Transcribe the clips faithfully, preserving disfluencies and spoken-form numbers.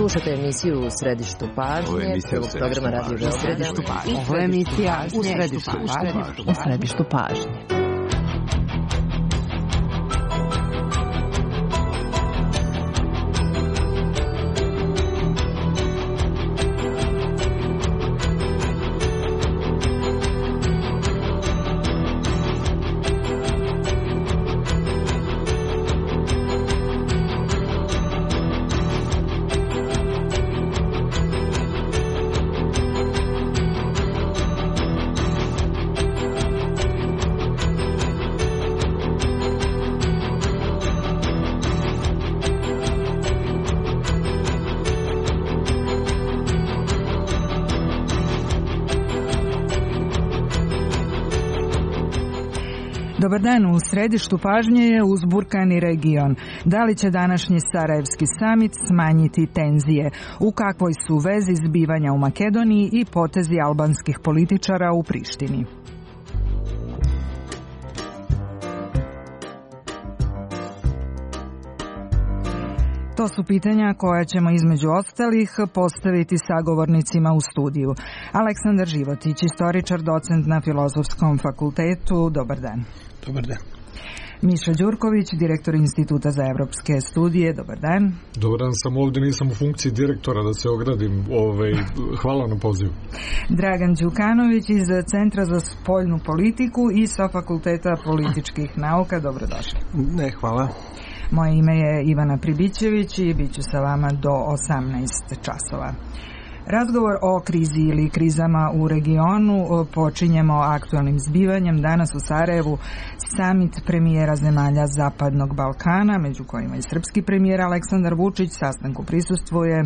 Slušate emisiju U središtu pažnje, prvog programa Radio Beograda. Ovo je emisija U središtu pažnje. U središtu pažnje. Dobar dan, u središtu pažnje je uzburkani region. Da li će današnji Sarajevski samit smanjiti tenzije? U kakvoj su vezi zbivanja u Makedoniji i potezi albanskih političara u Prištini? To su pitanja koja ćemo između ostalih postaviti sagovornicima u studiju. Aleksandar Životić, istoričar, docent na Filozofskom fakultetu. Dobar dan. Dobar dan. Miša Đurković, direktor Instituta za evropske studije. Dobar dan. Dobar dan, sam ovdje, nisam u funkciji direktora, da se ogradim. Ovaj, hvala na pozivu. Dragan Đukanović iz Centra za spoljnu politiku i sa Fakulteta političkih nauka. Dobrodošli. Ne, hvala. Moje ime je Ivana Pribićević i bit ću sa vama do osamnaest časova. Razgovor o krizi ili krizama u regionu počinjemo aktualnim zbivanjem. Danas u Sarajevu samit premijera zemalja Zapadnog Balkana, među kojima i srpski premijer Aleksandar Vučić. Sastanku prisustvuje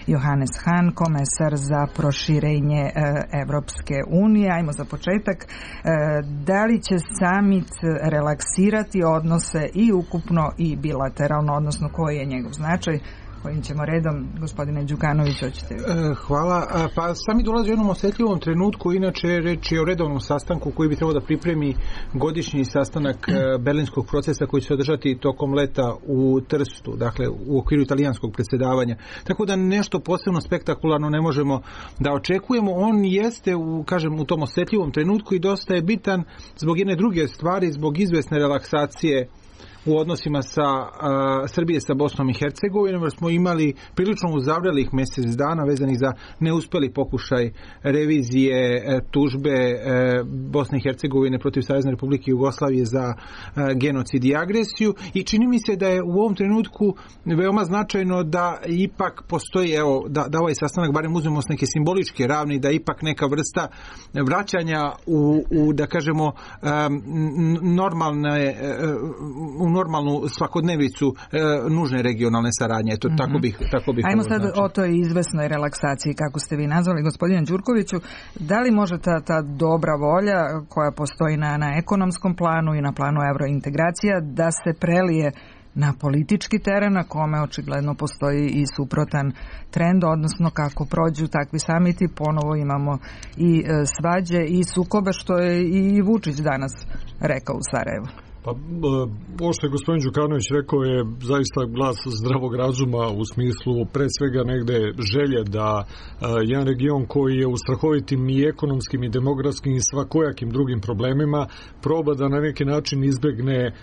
Johannes Hahn, komesar za proširenje Evropske unije. Ajmo za početak. Da li će samit relaksirati odnose i ukupno i bilateralno, odnosno koji je njegov značaj? Kojim ćemo redom, gospodine Đukanović, hoćete vi? Hvala. Pa sami dolazi u jednom osjetljivom trenutku, inače reč je o redovnom sastanku koji bi trebao da pripremi godišnji sastanak berlinskog procesa koji će se održati tokom leta u Trstu, dakle u okviru italijanskog predsjedavanja. Tako da nešto posebno spektakularno ne možemo da očekujemo. On jeste u, kažem, u tom osjetljivom trenutku i dosta je bitan zbog jedne druge stvari, zbog izvesne relaksacije u odnosima sa a, Srbije sa Bosnom i Hercegovinom, jer smo imali prilično uzavrelih mjesec dana vezanih za neuspjeli pokušaj revizije e, tužbe e, Bosne i Hercegovine protiv Savezne Republike Jugoslavije za e, genocid i agresiju, i čini mi se da je u ovom trenutku veoma značajno da ipak postoji, evo, da, da ovaj sastanak barem uzmemo s neke simboličke ravni, da ipak neka vrsta vraćanja u, u da kažemo um, normalne u normalnu svakodnevicu e, nužne regionalne saradnje. Eto, mm-hmm. tako bih, tako bih Ajmo sad znači. o toj izvesnoj relaksaciji, kako ste vi nazvali, gospodine Đurkoviću. Da li može ta, ta dobra volja koja postoji na, na ekonomskom planu i na planu eurointegracija da se prelije na politički teren, na kome očigledno postoji i suprotan trend, odnosno kako prođu takvi samiti, ponovo imamo i e, svađe i sukobe, što je i Vučić danas rekao u Sarajevu? Pa, ovo što je gospodin Đukanović rekao je zaista glas zdravog razuma, u smislu pre svega negde želje da a, jedan region koji je u strahovitim i ekonomskim i demografskim i svakojakim drugim problemima proba da na neki način izbegne a,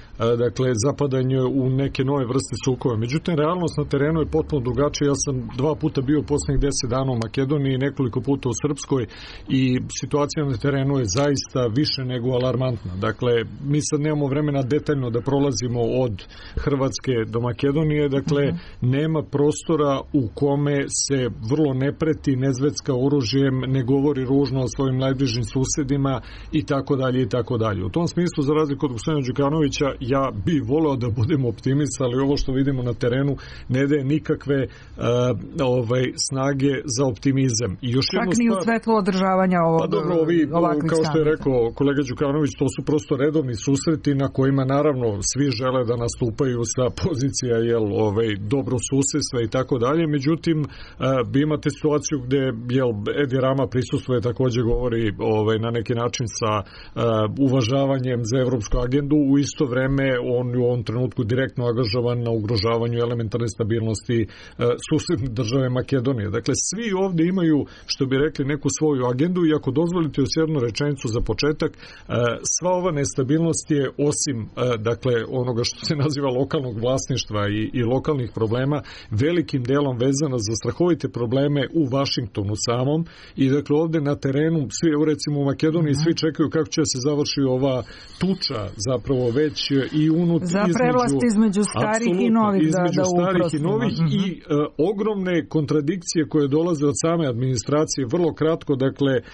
dakle, zapadanje u neke nove vrste sukoba. Međutim, realnost na terenu je potpuno drugačija. Ja sam dva puta bio u posljednjih deset dana u Makedoniji, nekoliko puta u Srpskoj, i situacija na terenu je zaista više nego alarmantna. Dakle, mi sad nemamo vremena detaljno da prolazimo od Hrvatske do Makedonije, dakle uh-huh. nema prostora u kome se vrlo ne preti, ne zvecka oružjem, ne govori ružno o svojim najbližim susedima i tako dalje i tako dalje. U tom smislu, za razliku od gospodina Đukanovića, ja bi voleo da budem optimista, ali ovo što vidimo na terenu ne daje nikakve uh, ovaj, snage za optimizam. I još Čak ni u svetlu održavanja ovog, pa dobro, ovi, ovakvih kao što je samita. Rekao kolega Đukanović, to su prosto redovni susreti na kojima naravno svi žele da nastupaju sa pozicija jel, ovaj, dobro susedstva i tako dalje, međutim vi imate situaciju gde jel, Edi Rama prisustvuje, takođe govori ovaj, na neki način sa uvažavanjem za evropsku agendu, u isto vreme on u ovom trenutku direktno angažovan na ugrožavanju elementarne stabilnosti susedne države Makedonije. Dakle, svi ovde imaju, što bi rekli, neku svoju agendu i ako dozvolite još jednu rečenicu za početak, sva ova nestabilnost je osim, dakle, onoga što se naziva lokalnog vlasništva i, i lokalnih problema, velikim delom vezana za strahovite probleme u Vašingtonu samom i dakle ovde na terenu, svi, recimo u Makedoniji, svi čekaju kako će se završi ova tuča zapravo već i unut za prevlast između starih i novih između da, da starih i novih uh-huh. i uh, ogromne kontradikcije koje dolaze od same administracije, vrlo kratko, dakle uh,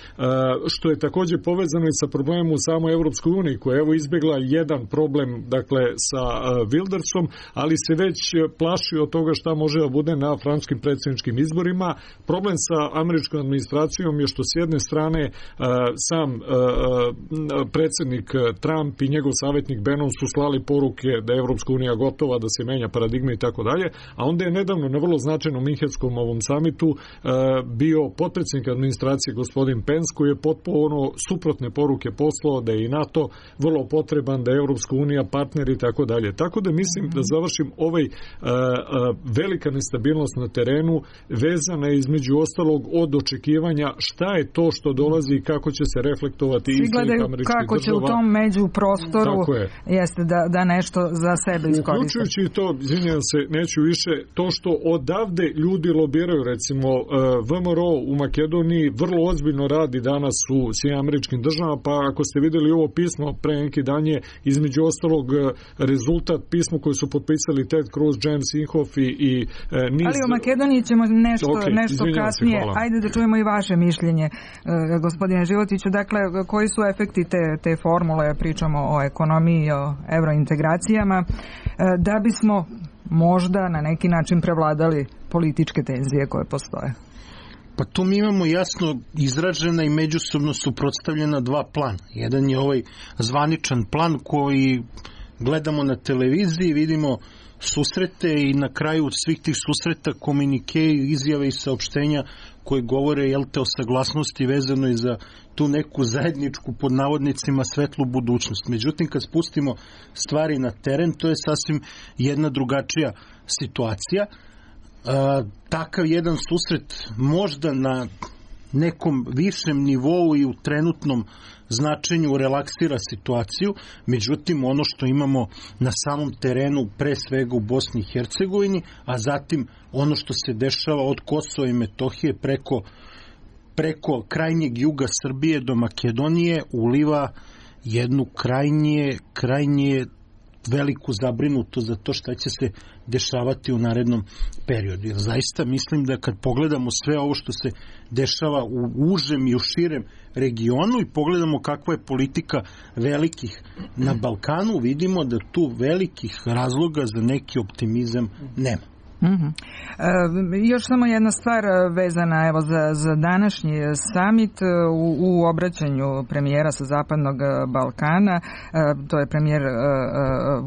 što je takođe povezano i sa problemom u samoj Evropskoj uniji koja je evo izbjegla jedan problem dakle sa uh, Wildersom, ali se već plaši od toga šta može da bude na francuskim predsjedničkim izborima. Problem sa američkom administracijom je što s jedne strane uh, sam uh, predsjednik Trump i njegov savjetnik Bannon su slali poruke da je Evropska unija gotova, da se menja paradigma i tako dalje, a onda je nedavno na vrlo značajnom Minhenskom ovom samitu uh, bio potpredsjednik administracije gospodin Pence koji je potpuno suprotne poruke poslao da je i NATO vrlo potreban, da je Evropska unija partner i tako dalje. Tako da mislim da završim ovaj uh, uh, velika nestabilnost na terenu vezana je između ostalog od očekivanja šta je to što dolazi i kako će se reflektovati iz svih američkih država. Kako će u tom među prostoru je. jeste da, da nešto za sebe iskoriste. Uključujući i to, izvinjam se, neću više, to što odavde ljudi lobiraju, recimo V M R O u Makedoniji vrlo ozbiljno radi danas u svim američkim državama, pa ako ste videli ovo pismo pre neki dan je između ostalog rezultat pismo koje su potpisali Ted Cruz, James Inhofe i, i niz... Ali o Makedoniji ćemo nešto, okay, nešto kasnije. Se, Ajde da čujemo i vaše mišljenje, gospodine Životiću. Dakle, koji su efekti te, te formule, pričamo o ekonomiji, o evrointegracijama, da bismo možda na neki način prevladali političke tenzije koje postoje? Pa tu mi imamo jasno izražena i međusobno suprotstavljena dva plana. Jedan je ovaj zvaničan plan koji gledamo na televiziji, vidimo susrete i na kraju svih tih susreta komunike, izjave i saopštenja koje govore jel te o saglasnosti vezano i za tu neku zajedničku pod navodnicima svetlu budućnost. Međutim, kad spustimo stvari na teren, to je sasvim jedna drugačija situacija. E, takav jedan susret možda na nekom višem nivou i u trenutnom značenju relaksira situaciju, međutim ono što imamo na samom terenu pre svega u Bosni i Hercegovini, a zatim ono što se dešava od Kosova i Metohije preko, preko krajnjeg juga Srbije do Makedonije uliva jednu krajnje, krajnje veliku zabrinutost za to šta će se dešavati u narednom periodu. Jer zaista mislim da kad pogledamo sve ovo što se dešava u užem i u širem regionu i pogledamo kakva je politika velikih na Balkanu, vidimo da tu velikih razloga za neki optimizam nema. Mm-hmm. E, još samo jedna stvar vezana evo za, za današnji samit u, u obraćanju premijera sa Zapadnog Balkana, e, to je premijer e,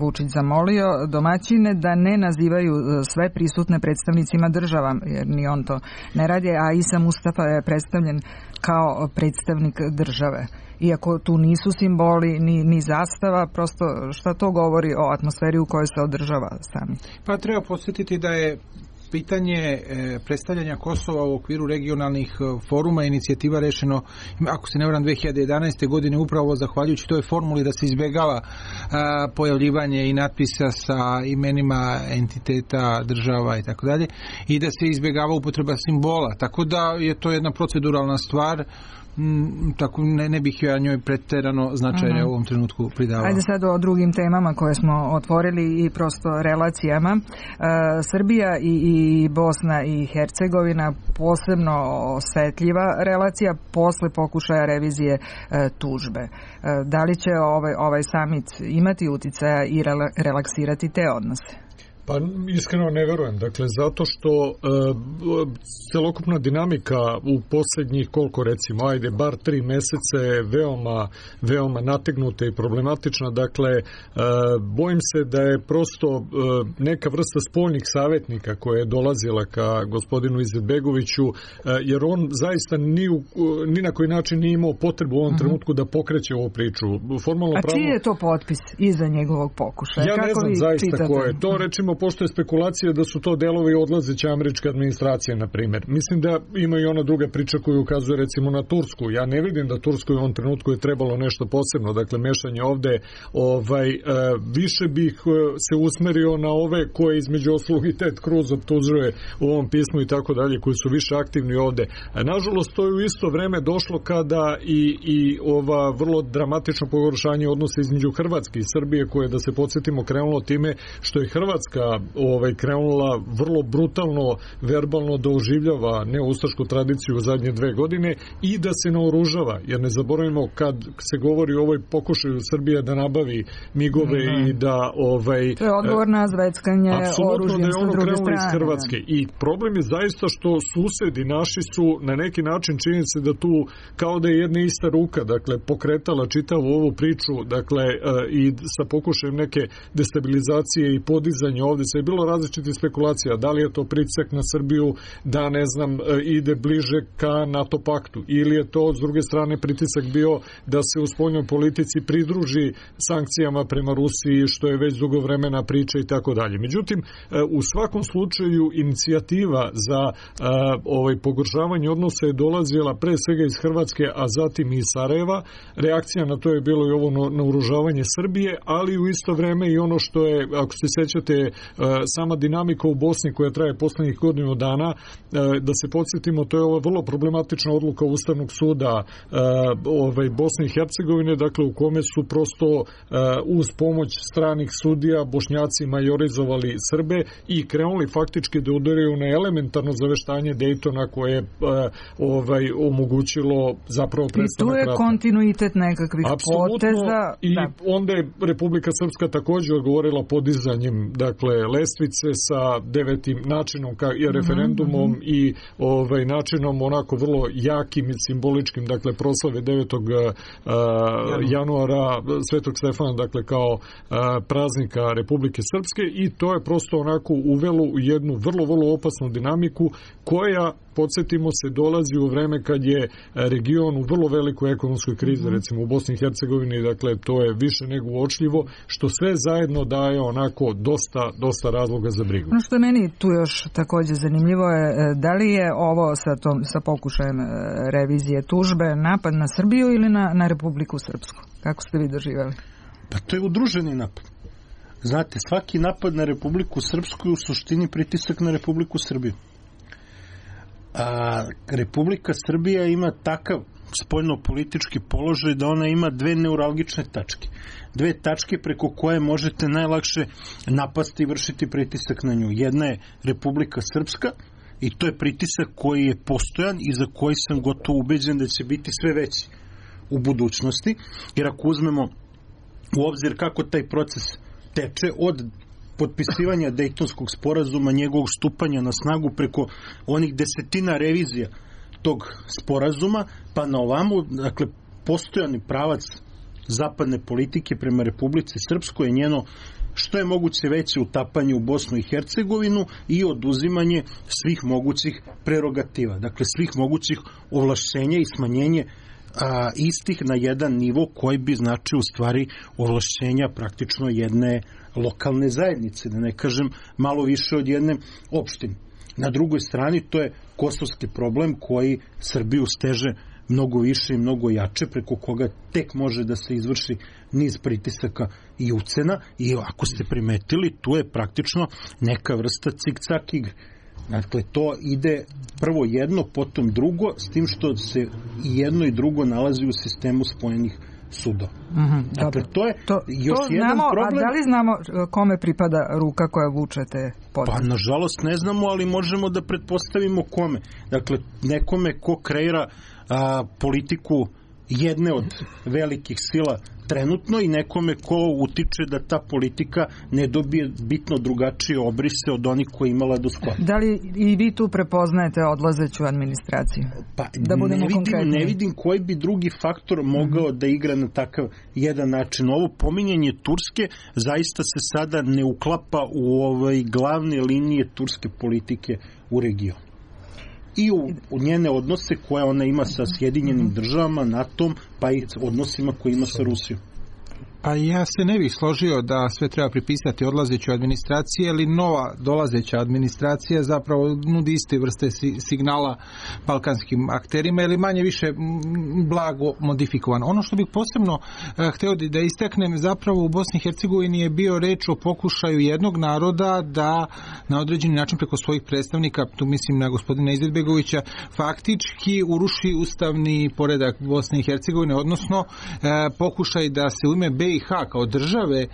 Vučić zamolio domaćine da ne nazivaju sve prisutne predstavnicima država, jer ni on to ne radi, a Isa Mustafa je predstavljen kao predstavnik države. Iako tu nisu simboli ni, ni zastava, prosto šta to govori o atmosferi u kojoj se održava samit? Pa treba podsjetiti da je pitanje predstavljanja Kosova u okviru regionalnih foruma i inicijativa rešeno, ako se ne varam, dve hiljade jedanaeste. godine upravo zahvaljujući toj formuli da se izbjegava pojavljivanje i natpisa sa imenima entiteta, država i tako dalje, i da se izbjegava upotreba simbola. Tako da je to jedna proceduralna stvar. Mm, tako ne, ne bih ja njoj pretjerano značajne uh-huh. u ovom trenutku pridavao. Ajde sad o drugim temama koje smo otvorili i prosto relacijama. E, Srbija i, i Bosna i Hercegovina posebno osetljiva relacija posle pokušaja revizije e, tužbe. E, da li će ovaj, ovaj samit imati uticaja i rela, relaksirati te odnose? Pa iskreno ne verujem, dakle zato što e, celokupna dinamika u posljednjih koliko recimo, ajde bar tri meseca je veoma, veoma nategnuta i problematična, dakle e, bojim se da je prosto e, neka vrsta spoljnih savjetnika koja je dolazila ka gospodinu Izetbegoviću, e, jer on zaista ni, u, ni na koji način nije imao potrebu u ovom uh-huh. trenutku da pokreće ovu priču. Formalno A pravo... čiji je to potpis iza njegovog pokušaja? Ja Kako ne znam zaista čitate? ko je to, rečimo pošto je spekulacija da su to delovi odlazeće američke administracije, na primjer. Mislim da ima i ona druga priča koju ukazuje recimo na Tursku. Ja ne vidim da Turskoj u ovom trenutku je trebalo nešto posebno, dakle mešanje ovde, ovaj, e, više bih se usmerio na ove koje između ostalog i Ted Cruz optužuje u ovom pismu i tako dalje, koji su više aktivni ovde. A nažalost to je u isto vreme došlo kada i, i ova vrlo dramatično pogoršanje odnosa između Hrvatske i Srbije, koje, da se podsjetimo, krenulo time što je Hrvatska ovaj, krenula vrlo brutalno, verbalno da oživljava neustašku tradiciju u zadnje dve godine i da se naoružava, jer ne zaboravimo kad se govori o ovoj pokušaju Srbije da nabavi migove mm-hmm. i da ovaj, to je odgovor na zveckanje oružjem da je ono sa druge strane iz Hrvatske. Da. I problem je zaista što susedi naši su na neki način, čini se da tu kao da je jedna ista ruka, dakle pokretala čitavu ovu priču, dakle i sa pokušajem neke destabilizacije i podizanja ovde se je bilo različitih spekulacija, da li je to pritisak na Srbiju da, ne znam, ide bliže ka NATO paktu, ili je to s druge strane pritisak bio da se u spoljnoj politici pridruži sankcijama prema Rusiji, što je već dugo vremena priča i tako dalje. Međutim, u svakom slučaju inicijativa za ovaj pogoršavanje odnosa je dolazila pre svega iz Hrvatske, a zatim i iz Sarajeva. Reakcija na to je bilo i ovo naoružavanje Srbije, ali u isto vreme i ono što je, ako se sećate, sama dinamika u Bosni koja traje poslednjih godinu dana, da se podsjetimo, to je ova vrlo problematična odluka Ustavnog suda ovaj, Bosne i Hercegovine, dakle u kome su prosto uz pomoć stranih sudija Bošnjaci majorizovali Srbe i krenuli faktički da udaraju na elementarno zaveštanje Dejtona koje je ovaj, omogućilo zapravo prestanak rata. I tu je kontinuitet nekakvih Apsolutno, poteza. I da. onda je Republika Srpska također odgovorila podizanjem, dakle, lestvice sa devetim načinom ka, i referendumom mm-hmm. i ovaj, načinom onako vrlo jakim i simboličkim, dakle, proslave devetog januara Svetog Stefana, dakle, kao a, praznika Republike Srpske, i to je prosto onako uvelo u jednu vrlo, vrlo opasnu dinamiku koja, podsjetimo se, dolazi u vreme kad je region u vrlo velikoj ekonomskoj krizi, mm-hmm. recimo u Bosni i Hercegovini, dakle, to je više nego uočljivo, što sve zajedno daje onako dosta, dosta razloga za brigu. Ono što je meni tu još također zanimljivo je, da li je ovo sa, tom, sa pokušajem revizije tužbe napad na Srbiju ili na, na Republiku Srpsku? Kako ste vi doživjeli? Pa to je udruženi napad. Znate, svaki napad na Republiku Srpsku je u suštini pritisak na Republiku Srbiju. A Republika Srbija ima takav spoljno-politički položaj da ona ima dve neuralgične tačke. Dve tačke preko koje možete najlakše napasti i vršiti pritisak na nju. Jedna je Republika Srpska i to je pritisak koji je postojan i za koji sam gotovo ubeđen da će biti sve veći u budućnosti, jer ako uzmemo u obzir kako taj proces teče od potpisivanja Dejtonskog sporazuma, njegovog stupanja na snagu preko onih desetina revizija tog sporazuma, pa na ovamo, dakle, postojani pravac zapadne politike prema Republici Srpskoj je njeno što je moguće veće utapanje u Bosnu i Hercegovinu i oduzimanje svih mogućih prerogativa, dakle svih mogućih ovlašćenja i smanjenje a, istih na jedan nivo koji bi značio u stvari ovlašćenja praktično jedne lokalne zajednice, da ne kažem malo više od jedne opštine. Na drugoj strani to je kosovski problem koji Srbiju steže mnogo više i mnogo jače, preko koga tek može da se izvrši niz pritisaka i ucena, i ako ste primetili, tu je praktično neka vrsta cik-cak igre. Dakle, to ide prvo jedno, potom drugo, s tim što se i jedno i drugo nalazi u sistemu spojenih sudova. Mm-hmm, dakle, to je to, još to jedan znamo, problem. A da li znamo kome pripada ruka koja vuče te poteze? Pa, nažalost, ne znamo, ali možemo da pretpostavimo kome. Dakle, nekome ko kreira a, politiku jedne od velikih sila trenutno i nekome ko utiče da ta politika ne dobije bitno drugačije obrise od onih koje imala do skora. Da li i vi tu prepoznajete odlazeću administraciju? Pa da ne vidim, ne vidim koji bi drugi faktor mogao mm-hmm. da igra na takav jedan način. Ovo pominjanje Turske zaista se sada ne uklapa u ovaj glavne linije turske politike u regionu. I u, u njene odnose koje ona ima sa Sjedinjenim državama, NATO-om, pa i odnosima koje ima sa Rusijom. Pa ja se ne bih složio da sve treba pripisati odlazećoj administraciji, ali nova dolazeća administracija zapravo nudi iste vrste signala balkanskim akterima ili manje više blago modifikovan. Ono što bih posebno uh, hteo da istaknem, zapravo u Bosni i Hercegovini je bio reč o pokušaju jednog naroda da na određeni način preko svojih predstavnika, tu mislim na gospodina Izetbegovića, faktički uruši ustavni poredak Bosne i Hercegovine, odnosno uh, pokušaj da se u ime B i H kao države e,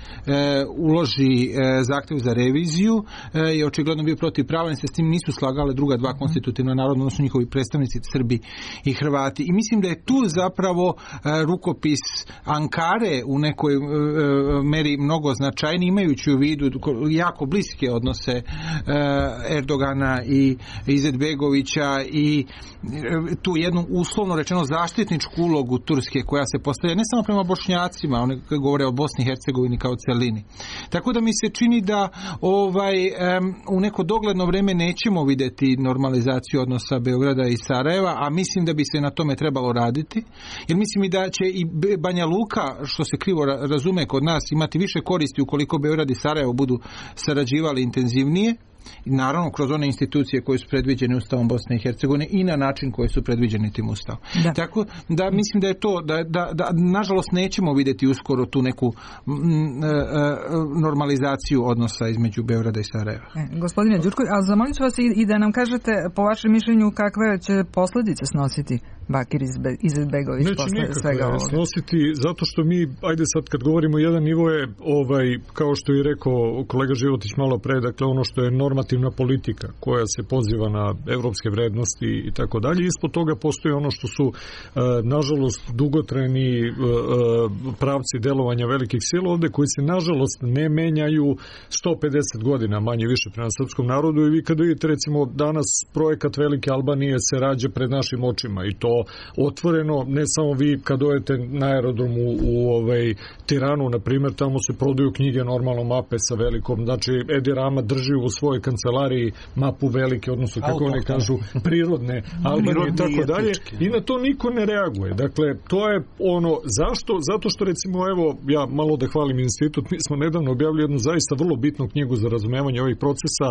uloži e, zahtjev za reviziju e, je očigledno bio protivpravan, se s tim nisu slagale druga dva konstitutivna naroda, odnosno njihovi predstavnici Srbi i Hrvati. I mislim da je tu zapravo e, rukopis Ankare u nekoj e, meri mnogo značajniji, imajući u vidu jako bliske odnose e, Erdogana i Izetbegovića i e, tu jednu uslovno rečeno zaštitničku ulogu Turske koja se postavlja ne samo prema Bošnjacima, one govore o Bosni i Hercegovini kao celini. Tako da mi se čini da ovaj um, u neko dogledno vreme nećemo vidjeti normalizaciju odnosa Beograda i Sarajeva, a mislim da bi se na tome trebalo raditi, jer mislim i da će i Banja Luka, što se krivo razume kod nas, imati više koristi ukoliko Beograd i Sarajevo budu sarađivali intenzivnije, i naravno kroz one institucije koje su predviđene Ustavom Bosne i Hercegovine i na način koji su predviđeni tim Ustavom. Da. Tako da mislim da je to, da, da, da nažalost nećemo vidjeti uskoro tu neku m, m, normalizaciju odnosa između Beograda i Sarajeva. E, gospodine Đurković, a zamolit ću vas i, i da nam kažete po vašem mišljenju kakve će posljedice snositi Bakir Izetbegović posle svega ovoga. Snositi, zato što mi, ajde sad kad govorimo jedan nivo je, ovaj, kao što je rekao kolega Životić malo pre, dakle ono što je normativna politika koja se poziva na evropske vrednosti i tako dalje. Ispod toga postoji ono što su, nažalost, dugotrajni pravci delovanja velikih sila ovde, koji se, nažalost, ne menjaju sto pedeset godina, manje više prema srpskom narodu. I vi kad vidite, recimo, danas projekat Velike Albanije se rađa pred našim očima i to otvoreno, ne samo vi kad dojete na aerodromu u, u ovaj, Tiranu, na primjer, tamo se prodaju knjige, normalno mape sa velikom, znači Edi Rama drži u svojoj kancelariji mapu velike, odnosno kako one kažu, prirodne Albanije i tako dalje, i na to niko ne reaguje. Dakle, to je ono, zašto? Zato što, recimo, evo, ja malo da hvalim institut, mi smo nedavno objavili jednu zaista vrlo bitnu knjigu za razumevanje ovih procesa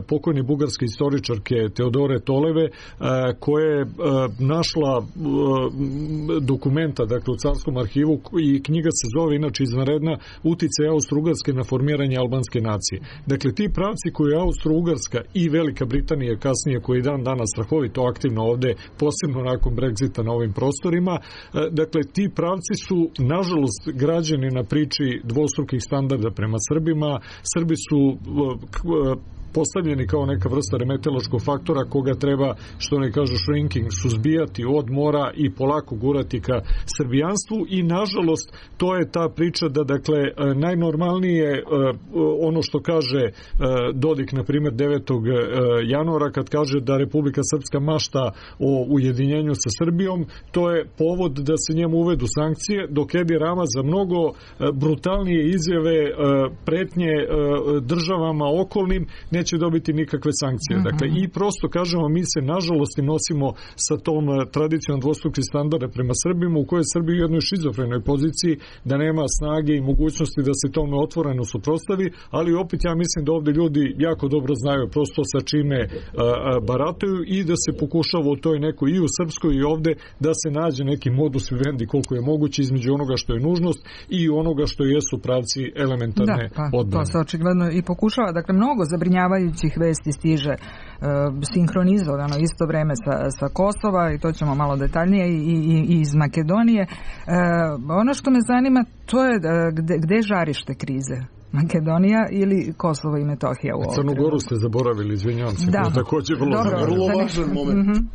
pokojne bugarske istoričarke Teodore Toleve, koja je našla dokumenta, dakle, u Carskom arhivu, i knjiga se zove, inače izvanredna, Uticaj Austro-Ugarske na formiranje albanske nacije. Dakle, ti pravci koji je Austro-Ugarska i Velika Britanija kasnije, koji dan danas strahovito aktivno ovde, posebno nakon Brexita na ovim prostorima, dakle, ti pravci su, nažalost, građeni na priči dvostrukih standarda prema Srbima. Srbi su postavljeni kao neka vrsta remetilačkog faktora koga treba, što ne kažu, shrinking, suzbijati od mora i polako gurati ka srbijanstvu, i nažalost to je ta priča da, dakle, najnormalnije ono što kaže Dodik, na primjer, devetog januara, kad kaže da Republika Srpska mašta o ujedinjenju sa Srbijom, to je povod da se njemu uvedu sankcije, dok Edi Rama za mnogo brutalnije izjave, pretnje državama okolnim neće dobiti nikakve sankcije. Uh-huh. Dakle, i prosto kažemo, mi se nažalost nosimo sa tom tradicijom dvostrukih standarda prema Srbima, u kojoj Srbi u jednoj šizofrenoj poziciji, da nema snage i mogućnosti da se tome otvoreno suprotstavi, ali opet ja mislim da ovde ljudi jako dobro znaju prosto sa čime a, a, barataju, i da se pokušava u toj nekoj, i u Srpskoj i ovde, da se nađe neki modus vivendi koliko je moguće između onoga što je nužnost i onoga što jesu pravci elementarne da, pa, odbrane. To se očigledno i pokušava. Dakle, mnogo zabrinjavajućih vesti stiže e, sinhronizovano isto vreme sa, sa Kosova, i to ćemo malo detaljnije, i, i, i iz Makedonije. E, ono što me zanima, to je gde, gde žarište krize? Makedonija ili Kosovo i Metohija u ovom Crnu Goru ste zaboravili, izvinjavam se. Da. Također vrlo, vrlo važan moment. Mm-hmm.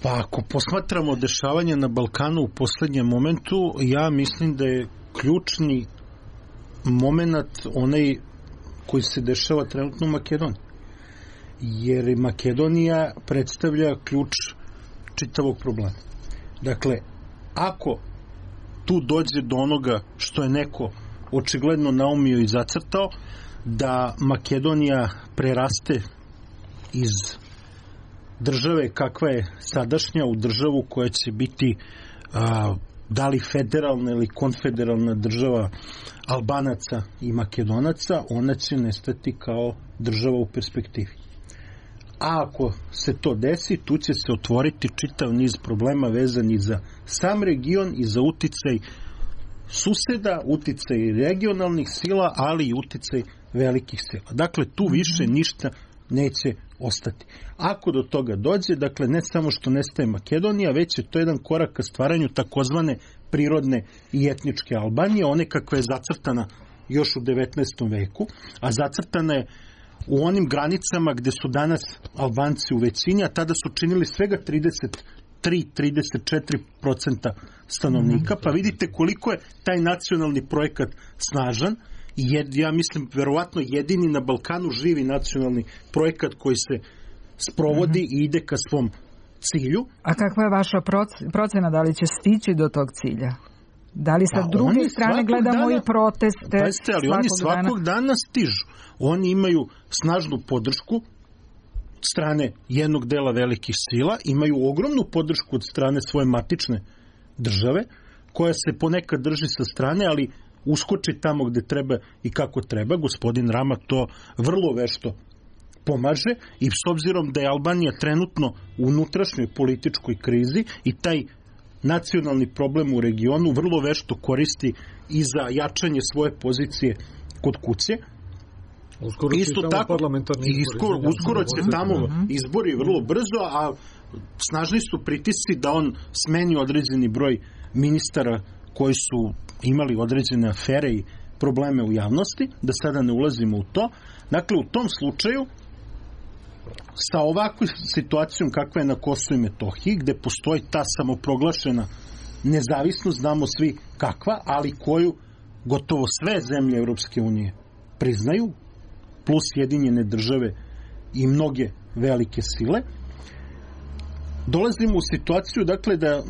Pa ako posmatramo dešavanje na Balkanu u poslednjem momentu, ja mislim da je ključni moment onaj koji se dešava trenutno u Makedoniji. Jer Makedonija predstavlja ključ čitavog problema. Dakle, ako tu dođe do onoga što je neko očigledno naumio i zacrtao, da Makedonija preraste iz države kakva je sadašnja u državu koja će biti a, da li federalna ili konfederalna država Albanaca i Makedonaca, ona će nestati kao država u perspektivi. A ako se to desi, tu će se otvoriti čitav niz problema vezani za sam region i za uticaj suseda, uticaj regionalnih sila, ali i uticaj velikih sila. Dakle, tu više ništa neće ostati. Ako do toga dođe, dakle, ne samo što nestaje Makedonija, već je to jedan korak ka stvaranju takozvane prirodne i etničke Albanije, one kakva je zacrtana još u devetnaestom veku, a zacrtana je u onim granicama gde su danas Albanci u većini, a tada su činili svega trideset tri do trideset četiri procenta stanovnika, pa vidite koliko je taj nacionalni projekat snažan i jed, ja mislim verovatno jedini na Balkanu živi nacionalni projekat koji se sprovodi mm-hmm. i ide ka svom cilju. A kakva je vaša procena, da li će stići do tog cilja? Da li sa pa druge strane gledamo dana, i proteste pa jeste, ali oni svakog dana? dana stižu. Oni imaju snažnu podršku strane jednog dela velikih sila, imaju ogromnu podršku od strane svoje matične države, koja se ponekad drži sa strane, ali uskoči tamo gde treba i kako treba. Gospodin Rama to vrlo vešto pomaže i s obzirom da je Albanija trenutno u unutrašnjoj političkoj krizi i taj nacionalni problem u regionu vrlo vešto koristi i za jačanje svoje pozicije kod kuće. Uskoro Isto tako, iskoro, uskoro će tamo izbori vrlo brzo, a snažni su pritisci da on smeni određeni broj ministara koji su imali određene afere i probleme u javnosti, da sada ne ulazimo u to. Dakle, u tom slučaju, sa ovakvom situacijom kakva je na Kosovu i Metohiji, gde postoji ta samoproglašena nezavisnost, znamo svi kakva, ali koju gotovo sve zemlje Evropske unije priznaju, plus Sjedinjene države i mnoge velike sile, dolazimo u situaciju, dakle, da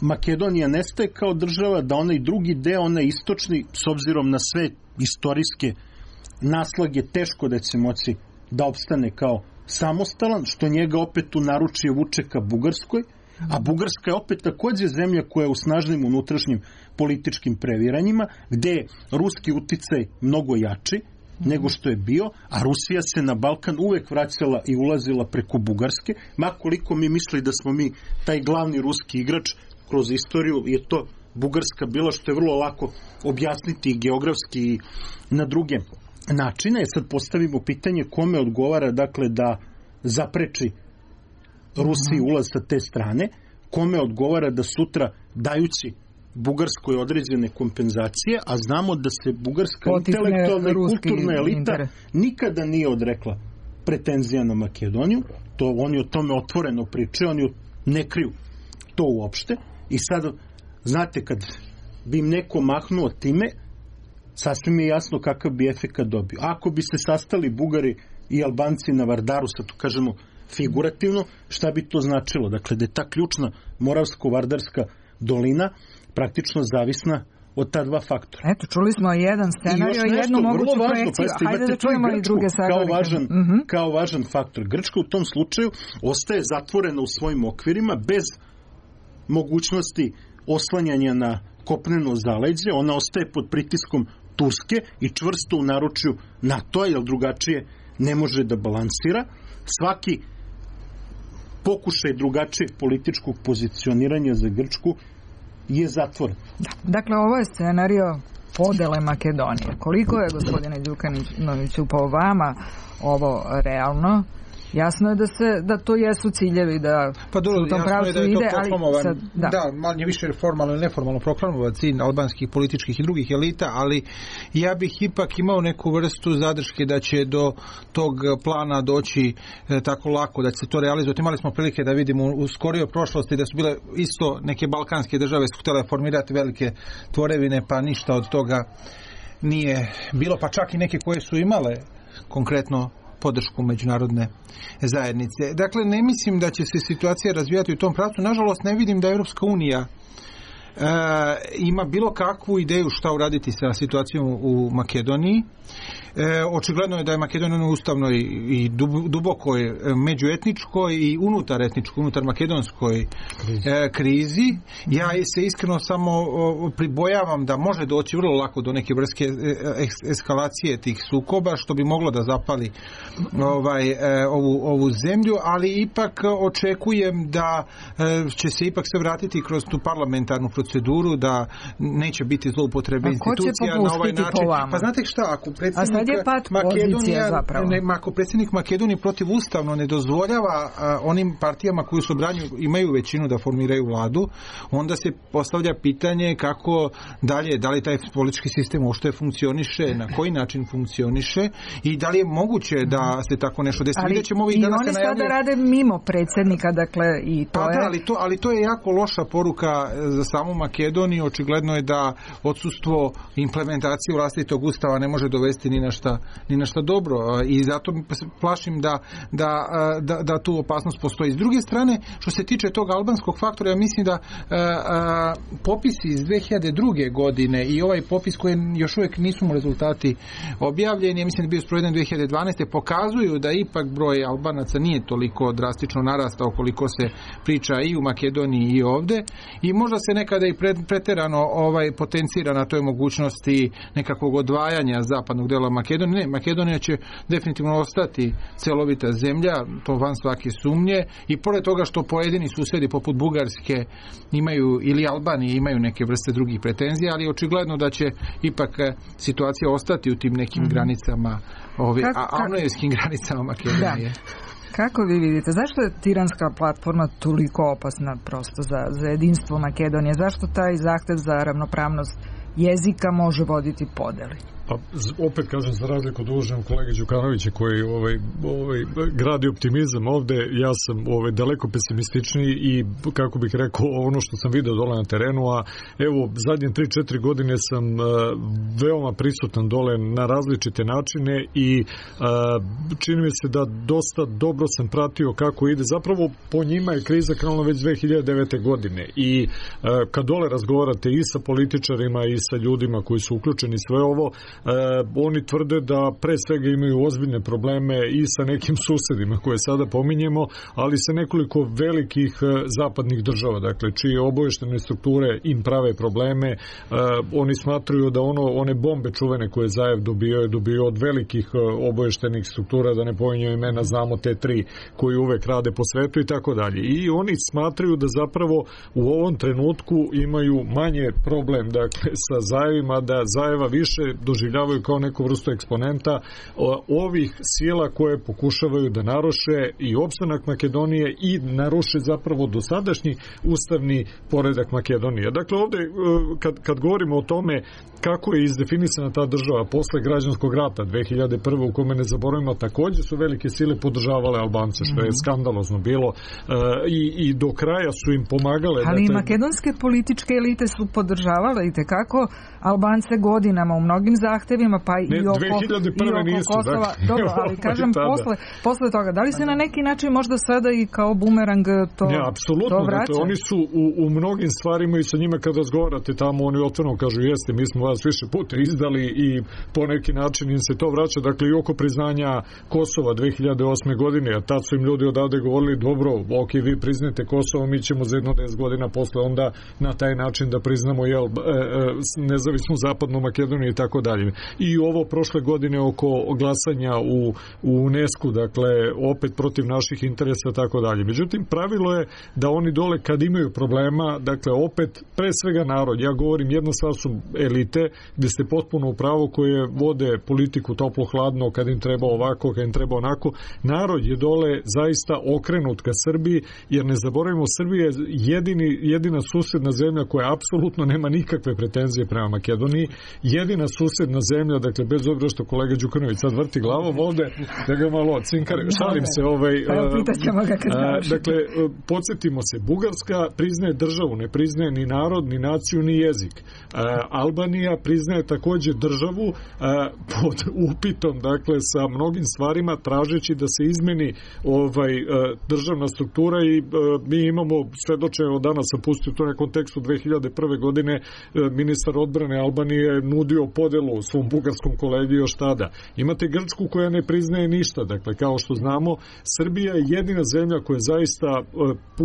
Makedonija nestaje kao država, da onaj drugi deo, onaj istočni, s obzirom na sve istorijske naslage, teško da će moći da opstane kao samostalan, što njega opet u naručje vuče ka Bugarskoj, a Bugarska je opet takođe zemlja koja je u snažnim unutrašnjim političkim previranjima, gde je ruski uticaj mnogo jači nego što je bio, a Rusija se na Balkan uvek vraćala i ulazila preko Bugarske, makoliko mi misli da smo mi taj glavni ruski igrač kroz istoriju, je to Bugarska bila, što je vrlo lako objasniti i geografski i na druge načine. Sad postavimo pitanje kome odgovara, dakle, da zapreči Rusiji ulaz sa te strane, kome odgovara da sutra, dajući Bugarskoj određene kompenzacije, a znamo da se bugarska Potisne intelektualna i kulturna elita inter. nikada nije odrekla pretenzija na Makedoniju, to oni o tome otvoreno pričaju, oni ne kriju to uopšte. I sad, znate, kad bi im neko mahnuo time, sasvim je jasno kakav bi efekat dobio. Ako bi se sastali Bugari i Albanci na Vardaru, sad to kažemo figurativno, šta bi to značilo? Dakle, da je ta ključna Moravsko-Vardarska dolina praktično zavisna od ta dva faktora. Eto, čuli smo jedan scenario i jednu moguću projekciju. Hajde da čujemo i druge sagledike. Kao važan, uh-huh. kao važan faktor. Grčka u tom slučaju ostaje zatvorena u svojim okvirima bez mogućnosti oslanjanja na kopneno zaleđe. Ona ostaje pod pritiskom Turske i čvrsto u naručju NATO-a, jer drugačije ne može da balansira. Svaki pokušaj drugačijeg političkog pozicioniranja za Grčku je zatvoren. Da. Dakle, ovo je scenario podele Makedonije. Koliko je, gospodine Đukanoviću, po vama ovo realno jasno je da se da to jesu ciljevi, da pa dobro, u tom pravcu da je ide, to ali sad, da. da, manje više formalno ili neformalno proklamovan cilj albanskih političkih i drugih elita, ali ja bih ipak imao neku vrstu zadrške da će do tog plana doći e, tako lako, da će se to realizovati. Imali smo prilike da vidimo u skorijoj prošlosti da su bile isto neke balkanske države su htjele formirati velike tvorevine, pa ništa od toga nije bilo, pa čak i neke koje su imale konkretno podršku međunarodne zajednice. Dakle, ne mislim da će se situacija razvijati u tom pravcu. Nažalost, ne vidim da Europska unija e, ima bilo kakvu ideju šta uraditi sa situacijom u Makedoniji. E, očigledno je da je Makedonija u ustavnoj i dubokoj međuetničkoj i unutar etničkoj, unutar makedonskoj e, krizi. Ja se iskreno samo o, pribojavam da može doći vrlo lako do neke vrste eskalacije tih sukoba, što bi moglo da zapali ovaj, e, ovu, ovu zemlju, ali ipak očekujem da e, će se ipak se vratiti kroz tu parlamentarnu proceduru, da neće biti zloupotrebe institucija na ovaj način. Pa znate šta, ako predsjednik Makedonija, ne, ako predsjednik Makedonije protiv ustavno ne dozvoljava a, onim partijama koji su branju, imaju većinu da formiraju vladu, onda se postavlja pitanje kako dalje, da li taj politički sistem uopšte funkcioniše, na koji način funkcioniše i da li je moguće da se tako nešto desi. Ali i oni sada rade mimo predsjednika, dakle i to pa je... Da, ali to, ali to je jako loša poruka za samu Makedoniju. Očigledno je da odsustvo implementacije vlastitog ustava ne može dovesti ni na šta, ni na šta dobro i zato plašim da, da, da, da tu opasnost postoji. S druge strane, što se tiče tog albanskog faktora, ja mislim da a, a, popisi iz dve hiljade druge. godine i ovaj popis koji još uvijek nisu mu rezultati objavljeni, ja mislim da je bio sproveden dve hiljade dvanaeste. pokazuju da ipak broj Albanaca nije toliko drastično narastao koliko se priča i u Makedoniji i ovde i možda se nekada i preterano ovaj, potencira na toj mogućnosti nekakvog odvajanja zapadnog dela Makedonije. Ne, Makedonija će definitivno ostati celovita zemlja, to van svake sumnje i pored toga što pojedini susjedi poput Bugarske imaju ili Albanije imaju neke vrste drugih pretenzija, ali očigledno da će ipak situacija ostati u tim nekim mm-hmm. granicama, ove, a, avnojevskim granicama Makedonije. Da. Kako vi vidite, zašto je tiranska platforma toliko opasna prosto za, za jedinstvo Makedonije? Zašto taj zahtev za ravnopravnost jezika može voditi podeli? Pa opet kažem, za razliku od uvaženog kolege Đukanovića koji ovaj, ovaj, gradi optimizam ovde, ja sam ovaj, daleko pesimističniji i kako bih rekao ono što sam video dole na terenu, a evo zadnje tri četiri godine sam uh, veoma prisutan dole na različite načine i uh, čini mi se da dosta dobro sam pratio kako ide. Zapravo po njima je kriza krenula već dve hiljade devete. godine i uh, kad dole razgovarate i sa političarima i sa ljudima koji su uključeni sve ovo, E, oni tvrde da pre svega imaju ozbiljne probleme i sa nekim susedima koje sada pominjemo, ali sa nekoliko velikih e, zapadnih država, dakle čije oboještene strukture im prave probleme. E, oni smatruju da ono, one bombe čuvene koje Zajev dobio je dobio od velikih e, oboještenih struktura, da ne pominjem imena, znamo te tri koji uvek rade po svetu i tako dalje. I oni smatruju da zapravo u ovom trenutku imaju manje problem, dakle sa Zajevima, da Zajeva više doživljavaju kao neku vrstu eksponenta ovih sila koje pokušavaju da naruše i opstanak Makedonije i naruše zapravo dosadašnji ustavni poredak Makedonije. Dakle, ovde kad, kad govorimo o tome kako je izdefinisana ta država posle građanskog rata dve hiljade prve. u kome ne zaboravimo takođe su velike sile podržavale Albance, što je skandalozno bilo i, i do kraja su im pomagale. Ali dakle, i makedonske političke elite su podržavale i tekako Albance godinama u mnogim zahtevima, pa ne, i oko, dve hiljade prve i oko nisu, Kosova. dakle, Dobro, ali kažem posle, posle toga, da li se na neki način možda sada i kao bumerang to, ne, apsolutno, to vraća? Dakle, oni su u, u mnogim stvarima i sa njima kad razgovarate tamo, oni otvoreno kažu jeste, mi smo vas više puta izdali i po neki način im se to vraća, dakle i oko priznanja Kosova dve hiljade osme. godine, a tad su im ljudi odavde govorili dobro, ok, vi priznate Kosovo, mi ćemo za jedno deset godina posle onda na taj način da priznamo jel, e, e, nezavisnu zapadnu Makedoniju i tako dalje. dalje. I ovo prošle godine oko glasanja u, u UNESCO, dakle, opet protiv naših interesa, tako dalje. Međutim, pravilo je da oni dole kad imaju problema, dakle, opet, pre svega narod, ja govorim, jedna stvar su elite, gde ste potpuno u pravu, koje vode politiku toplo-hladno, kad im treba ovako, kad im treba onako. Narod je dole zaista okrenut ka Srbiji, jer ne zaboravimo, Srbija je jedini, jedina susedna zemlja koja apsolutno nema nikakve pretenzije prema Makedoniji, jedina susedna zemlja, dakle, bez obzira što kolega Đukanović sad vrti glavom ovde, da ga malo cinkare, šalim se, ovaj, a, dakle, podsjetimo se, Bugarska priznaje državu, ne priznaje ni narod, ni naciju, ni jezik. A, Albanija priznaje takođe državu a, pod upitom, dakle, sa mnogim stvarima, tražeći da se izmeni ovaj, a, državna struktura i a, mi imamo svedočenje, danas sam pustio to na kontekstu dve hiljade prve godine, a, ministar odbrane Albanije nudio podelu svom bugarskom kolegi još tada. Imate Grčku koja ne priznaje ništa, dakle, kao što znamo, Srbija je jedina zemlja koja zaista a,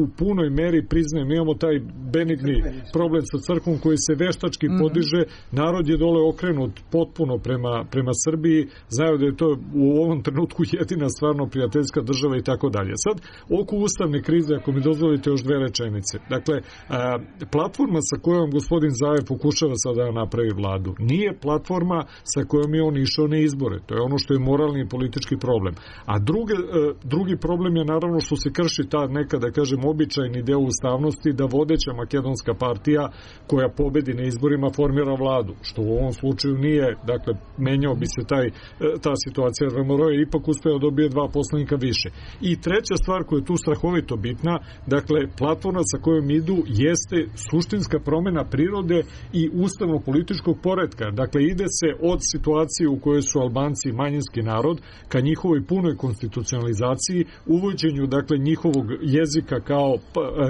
u punoj meri priznaje. Mi imamo taj benigni problem sa crkvom koji se veštački podiže, narod je dole okrenut potpuno prema, prema Srbiji, znaju da je to u ovom trenutku jedina stvarno prijateljska država i tako dalje. Sad, oko ustavne krize, ako mi dozvolite još dve rečenice. Dakle, a, platforma sa kojom gospodin Zaev pokušava sada da napravi vladu, nije platforma sa kojom je on išao na izbore. To je ono što je moralni i politički problem. A druge, a, drugi problem je naravno što se krši ta neka, da kažem, običajni deo ustavnosti da vodeća makedonska partija koja pobedi na izborima formira vladu, što u ovom slučaju nije, dakle, menjao bi se taj, ta situacija, jer Moro je ipak uspeo da dobije dva poslanika više. I treća stvar koja je tu strahovito bitna, dakle, platforma sa kojom idu jeste suštinska promena prirode i ustavno-političkog poretka. Dakle, ide se od situacije u kojoj su Albanci manjinski narod ka njihovoj punoj konstitucionalizaciji, uvođenju, dakle, njihovog jezika kao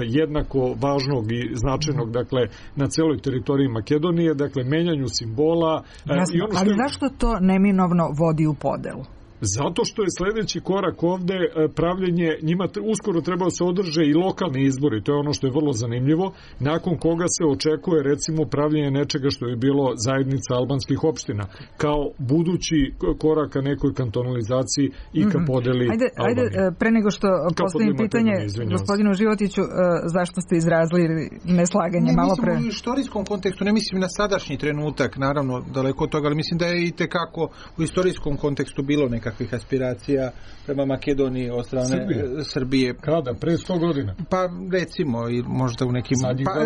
jednako važnog i značajnog, dakle, na celoj teritoriji Makedonije, dakle, menjanju simbola. Jasno, i ono što... ali zašto to neminovno vodi u podelu? Zato što je sledeći korak ovde pravljenje, njima uskoro treba da se održe i lokalni izbori, to je ono što je vrlo zanimljivo, nakon koga se očekuje recimo pravljenje nečega što je bilo zajednica albanskih opština, kao budući korak ka nekoj kantonalizaciji i ka podeli ajde, ajde, pre nego što postavim pitanje gospodinu Životiću, zašto ste izrazili neslaganje ne, malo pre? U istorijskom kontekstu, ne mislim na sadašnji trenutak, naravno daleko od toga, ali mislim da je i tekako u istorijskom kontekstu bilo neka kakvih aspiracija prema Makedoniji od strane Srbije. Srbije. Kada? Pre sto godina? Pa recimo i možda u nekim... Pa,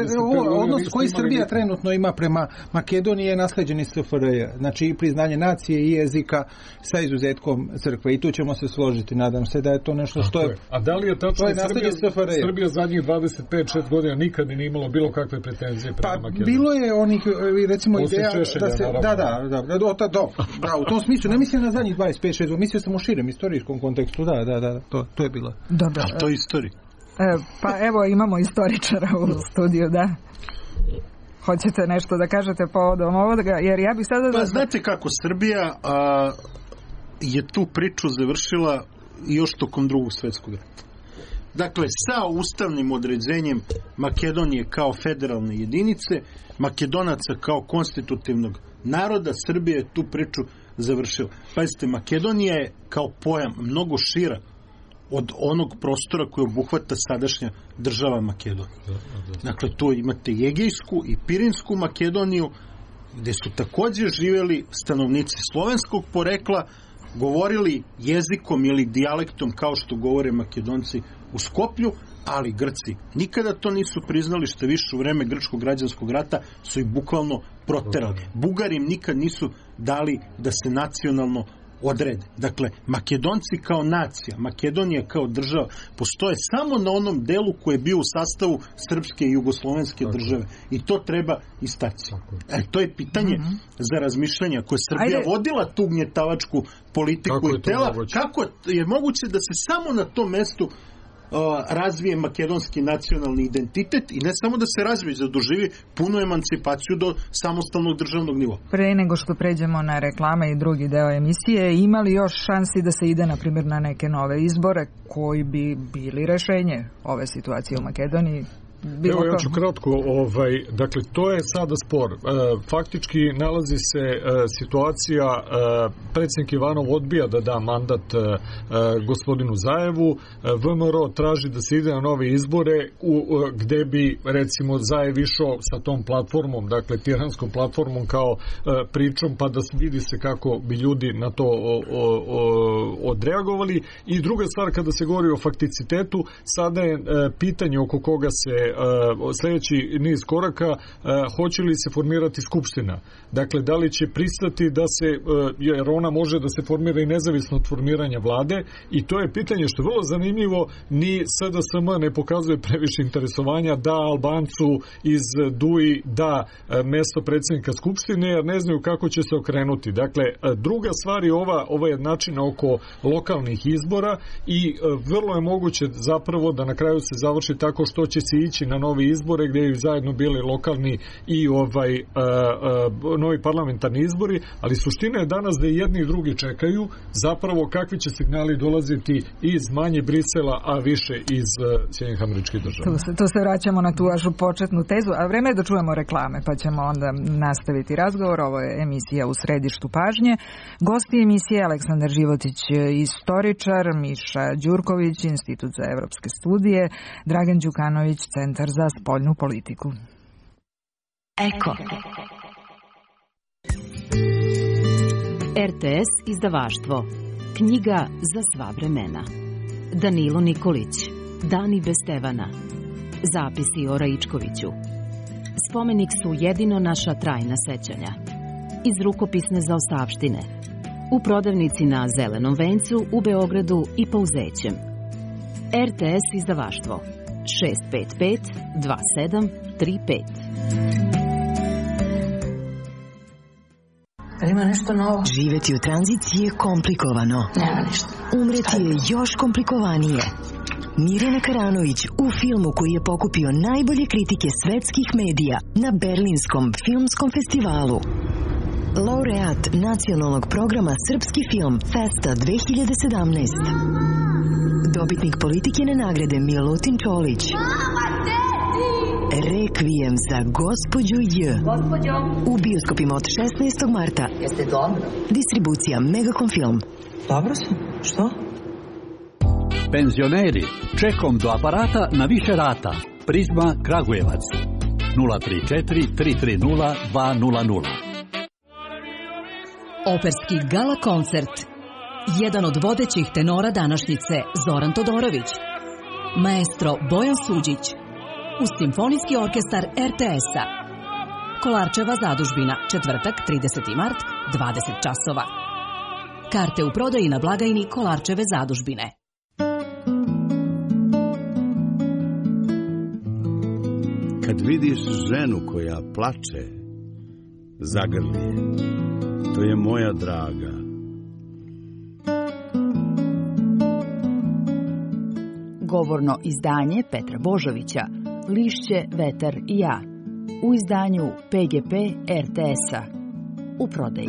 odnos koji Srbija neke... trenutno ima prema Makedoniji je nasleđen iz S F R J. Znači i priznanje nacije i jezika sa izuzetkom crkve. I tu ćemo se složiti. Nadam se da je to nešto što je... je. A da li je tačno je Srbija, Srbija zadnjih dvadeset pet šest godina nikad nije imalo bilo kakve pretenzije prema pa, Makedoniji? Bilo je onih recimo Osim ideja Šešelja, da se... Naravno. Da, da, da, da, da, da, da, u tom smislu. Ne mislim na zadnjih dvadeset pet šest, mislio sam u širem istorijskom kontekstu, da, da, da, to, to je bilo. Dobro. A to je istorija. E, pa evo imamo istoričara u studiju, da. Hoćete nešto da kažete povodom ovoga, jer ja bih sada... Pa znate kako, Srbija a, je tu priču završila još tokom drugog svetskog rata. Dakle, sa ustavnim određenjem Makedonije kao federalne jedinice, Makedonaca kao konstitutivnog naroda, Srbija je tu priču završila. Pazite, Makedonija je kao pojam mnogo šira od onog prostora koji obuhvata sadašnja država Makedonija. Dakle, tu imate Egejsku i Pirinsku Makedoniju, gde su takođe živeli stanovnici slovenskog porekla, govorili jezikom ili dijalektom kao što govore Makedonci u Skoplju, ali Grci nikada to nisu priznali, što više u vreme grčkog građanskog rata su ih bukvalno proterali. Bugari im nikad nisu dali da se nacionalno odrede. Dakle, Makedonci kao nacija, Makedonija kao država, postoje samo na onom delu koji je bio u sastavu srpske i jugoslovenske države. I to treba istaći. E, to je pitanje mm-hmm. za razmišljanje. Ako je Srbija Ajde. vodila tu gnjetavačku politiku kako i tela, moguće? Kako je moguće da se samo na tom mestu razvije makedonski nacionalni identitet i ne samo da se razvije, da doživi punu emancipaciju do samostalnog državnog nivoa. Pre nego što pređemo na reklame i drugi deo emisije, ima li još šansi da se ide, na primjer, na neke nove izbore koji bi bili rešenje ove situacije u Makedoniji? bilo Evo ja ću kratko, ovaj, dakle to je sada spor. E, faktički nalazi se e, situacija, e, predsjednik Ivanov odbija da da mandat e, gospodinu Zajevu, e, V M R O traži da se ide na nove izbore u, e, gde bi recimo Zajev išao sa tom platformom, dakle tiranskom platformom kao e, pričom, pa da vidi se kako bi ljudi na to o, o, o, odreagovali. I druga stvar, kada se govori o fakticitetu, sada je e, pitanje oko koga se e, sljedeći niz koraka, e, hoće li se formirati skupština. Dakle, da li će pristati da se, e, jer ona može da se formira i nezavisno od formiranja vlade, i to je pitanje što je vrlo zanimljivo, ni S D S M ne pokazuje previše interesovanja da Albancu iz D U I da e, mesto predsjednika skupštine, jer ne znaju kako će se okrenuti. Dakle, e, druga stvar je ova, ova jednačina oko lokalnih izbora i e, vrlo je moguće zapravo da na kraju se završi tako što će se ići na novi izbore gdje je zajedno bili lokalni i ovaj uh, uh, novi parlamentarni izbori, ali suština je danas da jedni i drugi čekaju zapravo kakvi će signali dolaziti iz manje Brisela, a više iz uh, Sjedinjenih Američkih Država. Tu se, tu se vraćamo na tu vašu početnu tezu, a vreme je da čujemo reklame, pa ćemo onda nastaviti razgovor. Ovo je emisija U središtu pažnje. Gosti emisije Aleksandar Životić, istoričar, Miša Đurković, Institut za evropske studije, Dragan Đukanović, Centar za spoljnu politiku. Eko. R T S izdavaštvo. Knjiga za sva vremena. Danilo Nikolić. Dani bez Stevana. Zapisi o Raičkoviću. Spomenik su jedino naša trajna sećanja. Iz rukopisne zaostavštine. U prodavnici na Zelenom vencu u Beogradu i Pauzećem. R T S izdavaštvo. šest pet pet dva sedam tri pet. Ima nešto novo? Živeti u tranziciji je komplikovano. Nema ništa. Umreti je još komplikovanije. Mirjana Karanović u filmu koji je pokupio najbolje kritike svetskih medija na Berlinskom filmskom festivalu. Laureat nacionalnog programa Srpski film Festa dve hiljade sedamnaest. Dobitnik Politikine nagrade Milutin Čolić. Rekvijem za gospođu J. Gospođo. U bioskopima od šesnaestog marta. Jeste dobro? Distribucija Megacom Film. Dobro sam. Što? Penzioneri, čekom do aparata na više rata. Prizma Kragujevac. nula tri četiri tri tri nula dva nula nula. Operski gala koncert. Jedan od vodećih tenora današnjice, Zoran Todorović. Maestro Bojan Suđić. Uz Simfonijski orkestar R T S-a. Kolarčeva zadužbina, četvrtak, trideseti mart, dvadeset časova. Karte u prodaji na blagajni Kolarčeve zadužbine. Kad vidiš ženu koja plače, zagrli je. To je moja draga. Govorno izdanje Petra Božovića, Lišće, vetar i ja. U izdanju P G P R T S-a. U prodaji.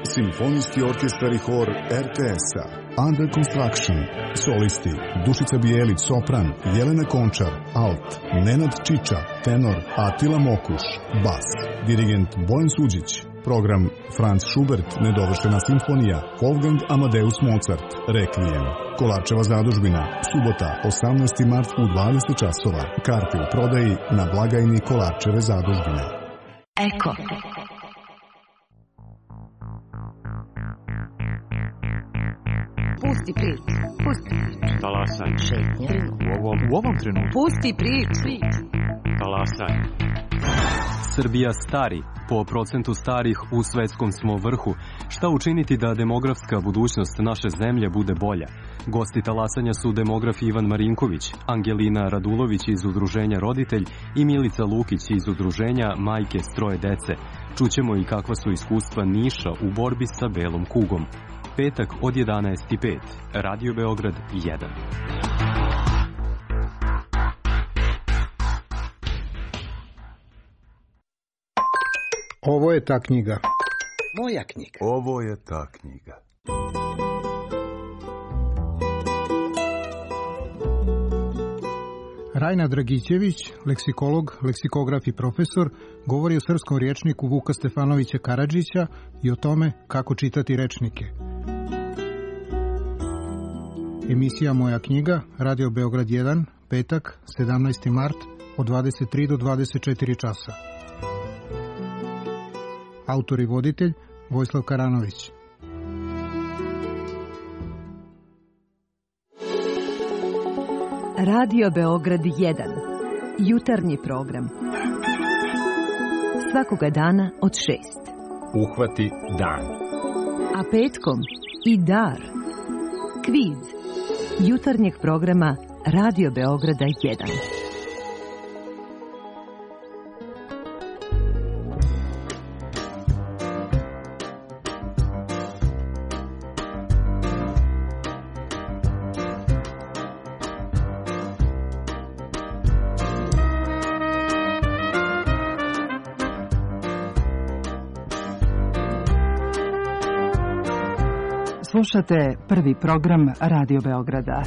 Simfonijski orkestar i hor R T S-a. Under Construction. Solisti Dušica Bijelić, sopran, Jelena Končar, alt, Nenad Čiča, tenor, Atila Mokuš, bas, dirigent Bojan Suđić. Program Franz Schubert, nedovršena simfonija, Wolfgang Amadeus Mozart, Rekvijem. Kolarčeva zadužbina, subota, osamnaesti mart u dvadeset časova. Karte u prodaji na blagajni Kolarčeve zadužbine. Eko. Pusti priču. Pusti priču. Talasanje. Šetnja. U ovom, u ovom trenutku. Pusti priču. Talasanje. Srbija stari. Po procentu starih u svetskom smo vrhu. Šta učiniti da demografska budućnost naše zemlje bude bolja? Gosti talasanja su demograf Ivan Marinković, Angelina Radulović iz udruženja Roditelj i Milica Lukić iz udruženja Majke s troje dece. Čućemo i kakva su iskustva Niša u borbi sa belom kugom. Petak od jedanaest i pet. Radio Beograd jedan. Ovo je ta knjiga. Moja knjiga. Ovo je ta knjiga. Rajna Dragićević, leksikolog, leksikograf i profesor, govori o srpskom rječniku Vuka Stefanovića Karadžića i o tome kako čitati rečnike. Emisija Moja knjiga, Radio Beograd jedan, petak, sedamnaesti mart, od dvadeset tri do dvadeset četiri časa. Autor i voditelj Vojislav Karanović. Radio Beograd jedan. Jutarnji program. Svakoga dana od šest. Uhvati dan. A petkom i dar. Kviz. Jutarnjeg programa Radio Beograda jedan. Slušate prvi program Radio Beograda.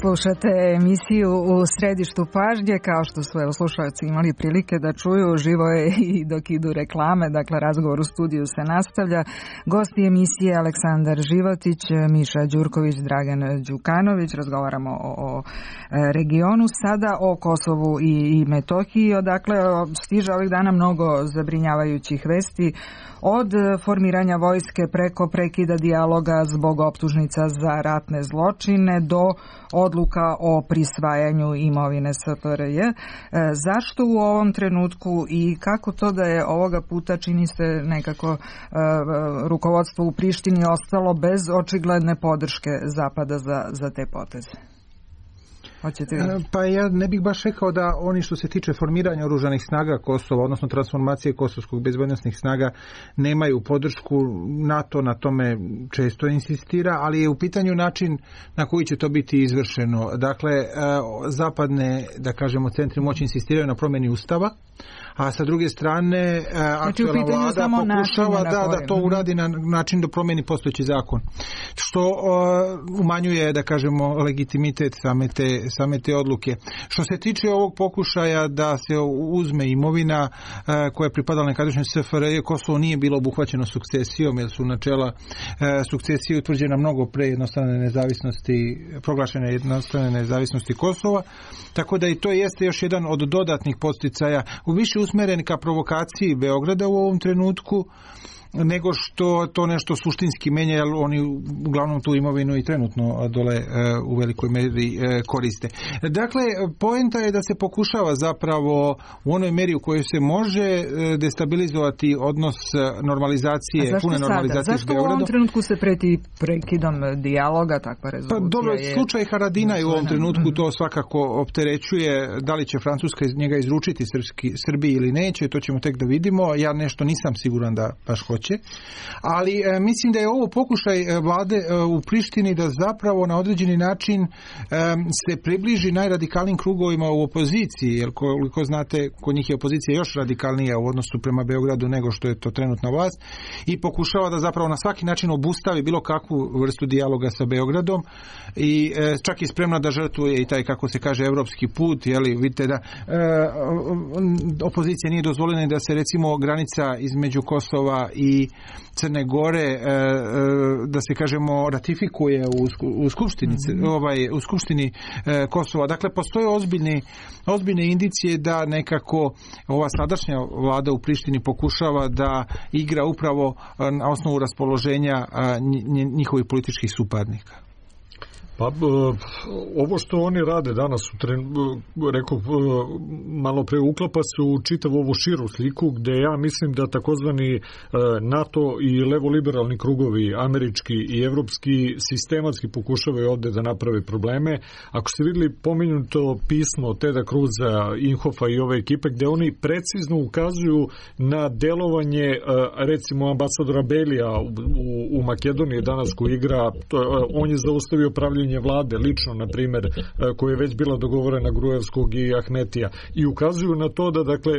Slušate emisiju u središtu pažnje, kao što su evo, slušalci imali prilike da čuju, živo je i dok idu reklame, dakle razgovor u studiju se nastavlja. Gosti emisije Aleksandar Životić, Miša Đurković, Dragan Đukanović, razgovaramo o, o regionu, sada o Kosovu i, i Metohiji, odakle stiže ovih dana mnogo zabrinjavajućih vesti, od formiranja vojske preko prekida dijaloga zbog optužnica za ratne zločine do odluka o prisvajanju imovine S F R J. Zašto u ovom trenutku i kako to da je ovoga puta, čini se nekako rukovodstvo u Prištini ostalo bez očigledne podrške Zapada za, za te poteze? Pa ja ne bih baš rekao da oni što se tiče formiranja oružanih snaga Kosova, odnosno transformacije kosovskog bezbednosnih snaga, nemaju podršku. NATO na tome često insistira, ali je u pitanju način na koji će to biti izvršeno. Dakle, zapadne, da kažemo, centri moći insistiraju na promjeni Ustava, a sa druge strane znači, aktualna vlada pokušava da, da to uradi na način da promijeni postojeći zakon. Što uh, umanjuje, da kažemo, legitimitet same te, same te odluke. Što se tiče ovog pokušaja da se uzme imovina uh, koja je pripadala nekadašnjoj S F R J, Kosovo nije bilo obuhvaćeno sukcesijom, jer su načela uh, sukcesije utvrđena mnogo pre jednostavne nezavisnosti, proglašene jednostavne nezavisnosti Kosova, tako da i to jeste još jedan od dodatnih podsticaja u više usmeren ka provokaciji Beograda u ovom trenutku, nego što to nešto suštinski menja, jer oni uglavnom tu imovinu i trenutno dole e, u velikoj meri e, koriste. Dakle, poenta je da se pokušava zapravo u onoj meri u kojoj se može e, destabilizovati odnos normalizacije, pune normalizacije s Beogradom. Zašto u ovom trenutku se preti prekidom dijaloga, takva rezolucija? Pa dobro, je... slučaj Haradina i u ovom trenutku to svakako opterećuje. Da li će Francuska iz njega izručiti Srpski, Srbiji ili neće, to ćemo tek da vidimo. Ja nešto nisam siguran da baš hoće. Ali e, mislim da je ovo pokušaj e, vlade e, u Prištini da zapravo na određeni način e, se približi najradikalnijim krugovima u opoziciji, jer koliko znate, kod njih je opozicija još radikalnija u odnosu prema Beogradu nego što je to trenutna vlast, i pokušava da zapravo na svaki način obustavi bilo kakvu vrstu dijaloga sa Beogradom i e, čak i spremna da žrtvuje i taj, kako se kaže, evropski put, jeli, vidite da e, opozicija nije dozvoljena da se recimo granica između Kosova i i Crne Gore, da se kažemo, ratifikuje u, u skupštini, ovaj, u skupštini Kosova. Dakle, postoje ozbiljne, ozbiljne indicije da nekako ova sadašnja vlada u Prištini pokušava da igra upravo na osnovu raspoloženja njihovih političkih suparnika. Pa, ovo što oni rade danas, rekao malo pre, uklapa se u čitavu ovu širu sliku, gde ja mislim da takozvani NATO i levoliberalni krugovi, američki i evropski, sistematski pokušavaju ovde da naprave probleme. Ako ste videli pomenuto pismo Teda Cruza, Inhofa i ove ekipe, gde oni precizno ukazuju na delovanje, recimo, ambasadora Belija u, u Makedoniji danas, koji igra, on je zaustavio pravljenje mišljenje vlade, lično, na primjer, koje je već bila dogovorena Gruevskog i Ahmetija, i ukazuju na to da, dakle,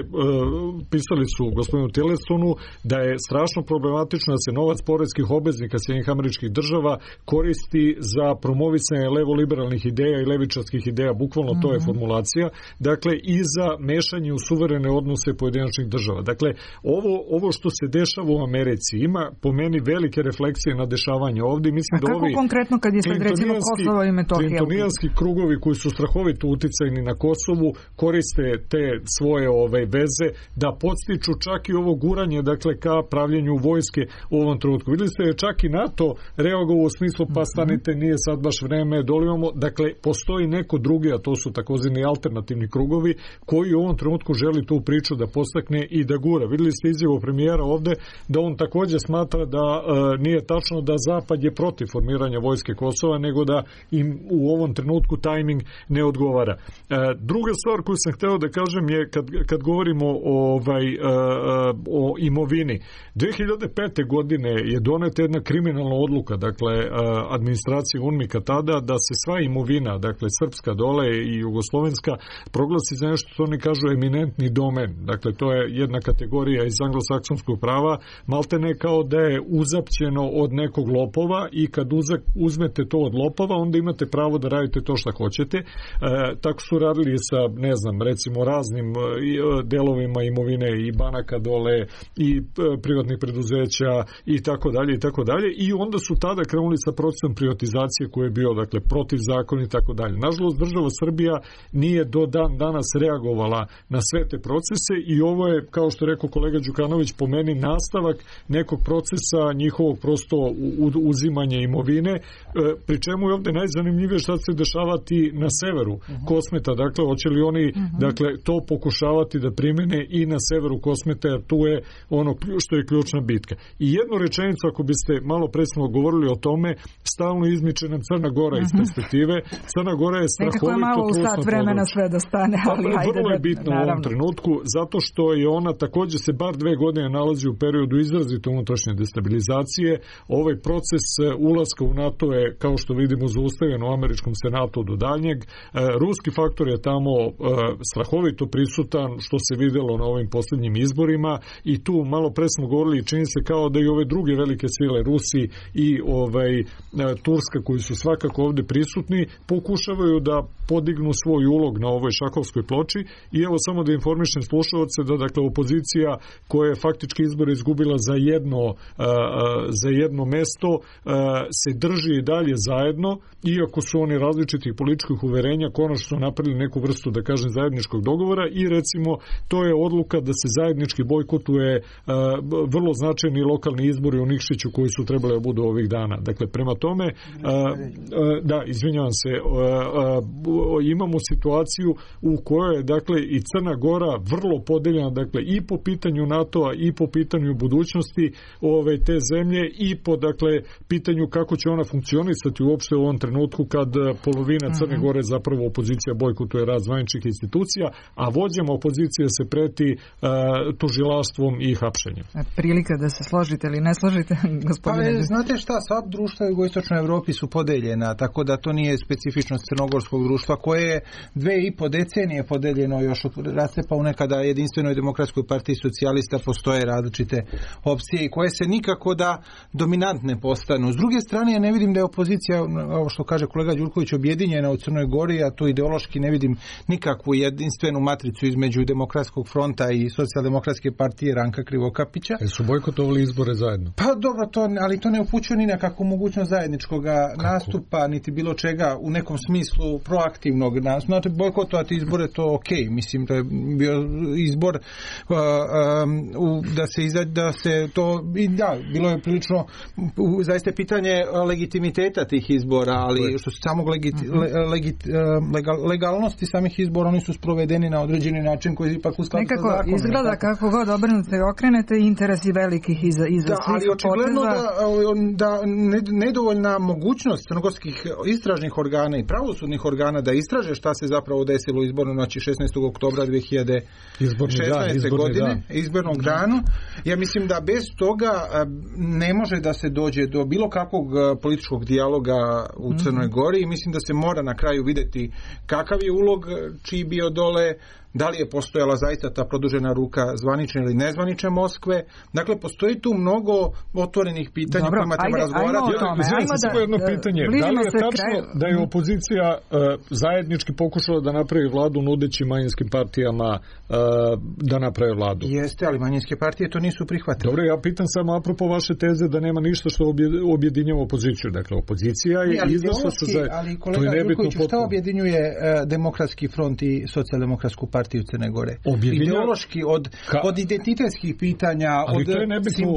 pisali su gospodinu Tillersonu da je strašno problematično da se novac poreskih obveznika Sjedinjenih Američkih Država koristi za promovisanje levoliberalnih ideja i levičarskih ideja, bukvalno to je formulacija, dakle, i za mešanje u suverene odnose pojedinačnih država. Dakle, ovo, ovo što se dešava u Americi ima po meni velike refleksije na dešavanje ovdje. Mislim, a da kako ovi konkretno kad je sad recimo Kosovo i Metohija? Clintonijanski krugovi koji su strahovito uticajni na Kosovu koriste te svoje ove veze da podstiču čak i ovo guranje, dakle, ka pravljenju vojske u ovom trenutku. Vidjeli ste je čak i NATO reagovao u smislu pa stanite, nije sad baš vreme, dolivamo. Dakle, postoji neko drugi, a to su takozvani alternativni krugovi, koji u ovom trenutku želi tu priču da postakne i da gura. Vidjeli ste izjavu premijera ovde da on također smatra da e, nije tačno da Zapad je protiv formiranja vojske Kosova, nego da im u ovom trenutku tajming ne odgovara. E, druga stvar koju sam hteo da kažem je kad, kad govorimo o, ovaj, e, o imovini. dve hiljade pete. godine je doneta jedna kriminalna odluka, dakle, e, administracije UNMIK-a tada, da se sva imovina, dakle, srpska dole i jugoslovenska, proglasi za nešto što oni kažu eminentni domen. Dakle, to je jedna kategorija iz anglosaksonskog prava, maltene kao da je uzapćeno od nekog lopova i kad uzmete to od lopova, onda imate pravo da radite to što hoćete. E, tako su radili sa, ne znam, recimo raznim e, delovima imovine i banaka dole i e, privatnih preduzeća i tako dalje i tako dalje, i onda su tada krenuli sa procesom privatizacije koji je bio, dakle, protiv zakona i tako dalje. Nažalost, država Srbija nije do dan danas reagovala na sve te procese i ovo je, kao što je rekao kolega Đukanović, po meni nastavak nekog procesa njihovog prosto uzimanja imovine, pri čemu je ovdje najzanimljivije šta se dešavati na severu uh-huh. Kosmeta, dakle, hoće li oni uh-huh. dakle, to pokušavati da primene i na severu Kosmeta, jer tu je ono što je ključna bitka. I jednu rečenicu, ako biste malo presno govorili o tome, stalno izmiče nam Crna Gora uh-huh. iz perspektive. Crna Gora je strahovito trusno malo u sat vremena sve da stane, ali pa, hajde vrlo je da, bitno naravno. u ovom trenutku, zato što je ona također se bar dve godine nalazi u periodu izrazito unutrašnje destabilizacije. Ovaj proces ulaska u NATO je, kao što vidimo, zaustavljen u američkom senatu do daljnjeg. E, ruski faktor je tamo e, strahovito prisutan, što se videlo na ovim posljednjim izborima, i tu malo pre smo govorili, čini se kao da i ove druge velike sile, Rusi i ovaj, e, Turska, koji su svakako ovdje prisutni, pokušavaju da podignu svoj ulog na ovoj šahovskoj ploči. I evo samo da informišem slušalce da, dakle, opozicija koja je faktički izbor izgubila za jedno, uh, za jedno mesto uh, se drži i dalje zajedno, iako su oni različitih političkih uverenja konačno su napravili neku vrstu, da kažem, zajedničkog dogovora, i recimo to je odluka da se zajednički bojkotuje uh, vrlo značajni lokalni izbori u Nikšiću koji su trebali da budu ovih dana. Dakle, prema tome uh, uh, da, izvinjavam se, uh, uh, imamo situaciju u kojoj je, dakle, i Crna Gora vrlo podeljena, dakle, i po pitanju NATO-a i po pitanju budućnosti ove te zemlje i po, dakle, pitanju kako će ona funkcionisati uopšte u ovom trenutku kad polovina Crne Gore zapravo opozicija bojkotuje rad zvaničnih institucija, a vođama opozicije se preti uh, tužilaštvom i hapšenjem. Prilika da se složite ili ne složite, gospodine? Pa, znate šta, sva društva u jugoistočnoj Evropi su podeljena, tako da to nije specifičnost crnogorskog društva, koje je dve i po decenije podeljeno još od rascepa u nekada jedinstvenoj demokratskoj partiji socijalista. Postoje različite opcije i koje se nikako da dominantne postanu. S druge strane, ja ne vidim da je opozicija, ovo što kaže kolega Đurković, objedinjena u Crnoj Gori, a tu ideološki ne vidim nikakvu jedinstvenu matricu između Demokratskog fronta i Socijaldemokratske partije Ranka Krivokapića. E su bojkotovali izbore zajedno? Pa dobro, to, ali to ne upućuje ni na kakvu mogućnost zajedničkog nastupa, niti bilo čega u nekom smislu proaktivnog nastupa. Znači, bojkotovati izbore, to ok, mislim da je bio izbor uh, um, da se iza, da se to i da, bilo je prilično u, zaista pitanje legitimiteta tih izbora, ali što se samog legit, le, legit, legal, legalnosti samih izbora, oni su sprovedeni na određeni način koji je ipak u skladu sa zakonom. Nekako izgleda kako god obrnete i okrenete, interesi velikih iza, iza da, svih ali očigledno da, da nedovoljna mogućnost crnogorskih istražnih organa i pravosudnih organa da istraže šta se zapravo desilo u izbornoj noći šesnaestog oktobra dve hiljade šesnaeste. godine, izbornog dana. Ja mislim da bez toga ne može da se dođe do bilo kakvog političkog dijaloga u Crnoj Gori i mislim da se mora na kraju vidjeti kakav je ulog čiji bio dole, da li je postojala zaista ta produžena ruka zvanične ili nezvanične Moskve. Dakle, postoji tu mnogo otvorenih pitanja o kojima treba razgovarati. Ajmo samo jedno pitanje. Da li je tačno da je opozicija uh, zajednički pokušala da napravi vladu nudeći manjinskim partijama uh, da naprave vladu? Jeste, ali manjinske partije to nisu prihvatile. Dobro, ja pitam samo apropo vaše teze da nema ništa što objedinjava opoziciju. Dakle, opozicija je izašla sa zajednički. Ali kolega Živković, šta objedinjuje uh, Demokratski front i Socijaldemokratsku partiju Crne Gore? Objedinja... Ideološki, od, Ka... od identitetskih pitanja, ali od... to je nebitno.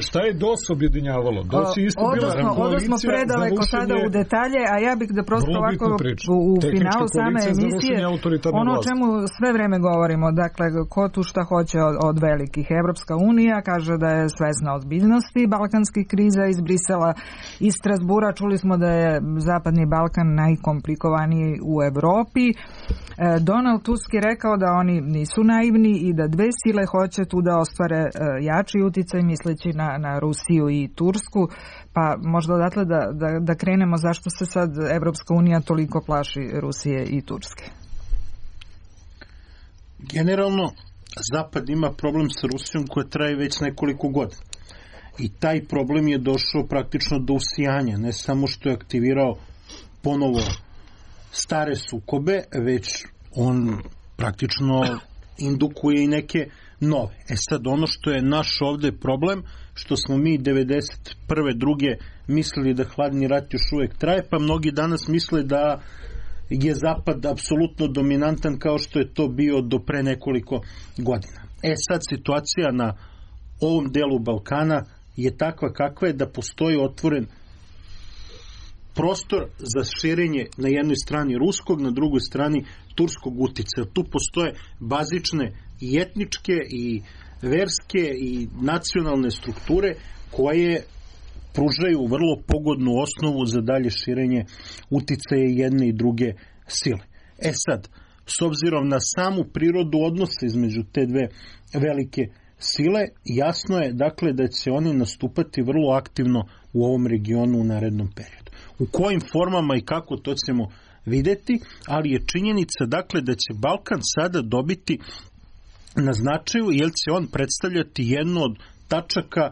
Šta je D O S objedinjavalo? D O S je isto bila koalicija. Ovo smo predaleko sada u detalje, a ja bih da prosto ovako u, u finalu same emisije ono o čemu sve vreme govorimo, dakle, ko tu šta hoće od, od velikih. Evropska unija kaže da je svesna ozbiljnosti balkanskih kriza iz Brisela, iz Strasbura čuli smo da je Zapadni Balkan najkomplikovaniji u Evropi. Donald Tusk je rekao da oni nisu naivni i da dve sile hoće tu da ostvare jači uticaj misleći na, na Rusiju i Tursku, pa možda odatle da, da, da krenemo zašto se sad Evropska unija toliko plaši Rusije i Turske. Generalno, Zapad ima problem sa Rusijom koja traje već nekoliko godina. I taj problem je došao praktično do usijanja, ne samo što je aktivirao ponovo stare sukobe, već on praktično indukuje i neke nove. E sad, ono što je naš ovde problem, što smo mi devedeset prve druge mislili da hladni rat još uvek traje, pa mnogi danas misle da je Zapad apsolutno dominantan kao što je to bio do pre nekoliko godina. E sad, situacija na ovom delu Balkana je takva kakva je da postoji otvoren prostor za širenje na jednoj strani ruskog, na drugoj strani turskog uticaja. Tu postoje bazične i etničke i verske i nacionalne strukture koje pružaju vrlo pogodnu osnovu za dalje širenje uticaja jedne i druge sile. E sad, s obzirom na samu prirodu odnosa između te dve velike sile, jasno je dakle da će oni nastupati vrlo aktivno u ovom regionu u narednom periodu. U kojim formama i kako, to ćemo videti, ali je činjenica dakle da će Balkan sada dobiti na značaju, jer će on predstavljati jednu od tačaka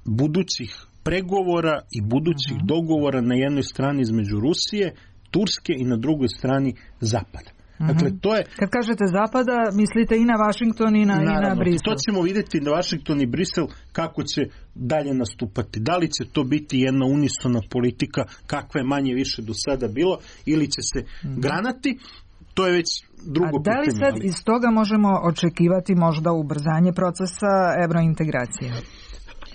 budućih pregovora i budućih uh-huh. dogovora na jednoj strani između Rusije, Turske i na drugoj strani Zapada. Dakle, to je... Kad kažete Zapada, mislite i na Vašington i na, naravno, i na Brisel. To ćemo vidjeti na Vašington i Brisel kako će dalje nastupati. Da li će to biti jedna unisona politika, kakva je manje više do sada bilo, ili će se mm. granati, to je već drugo pitanje. A da li sad ali... iz toga možemo očekivati možda ubrzanje procesa evrointegracije?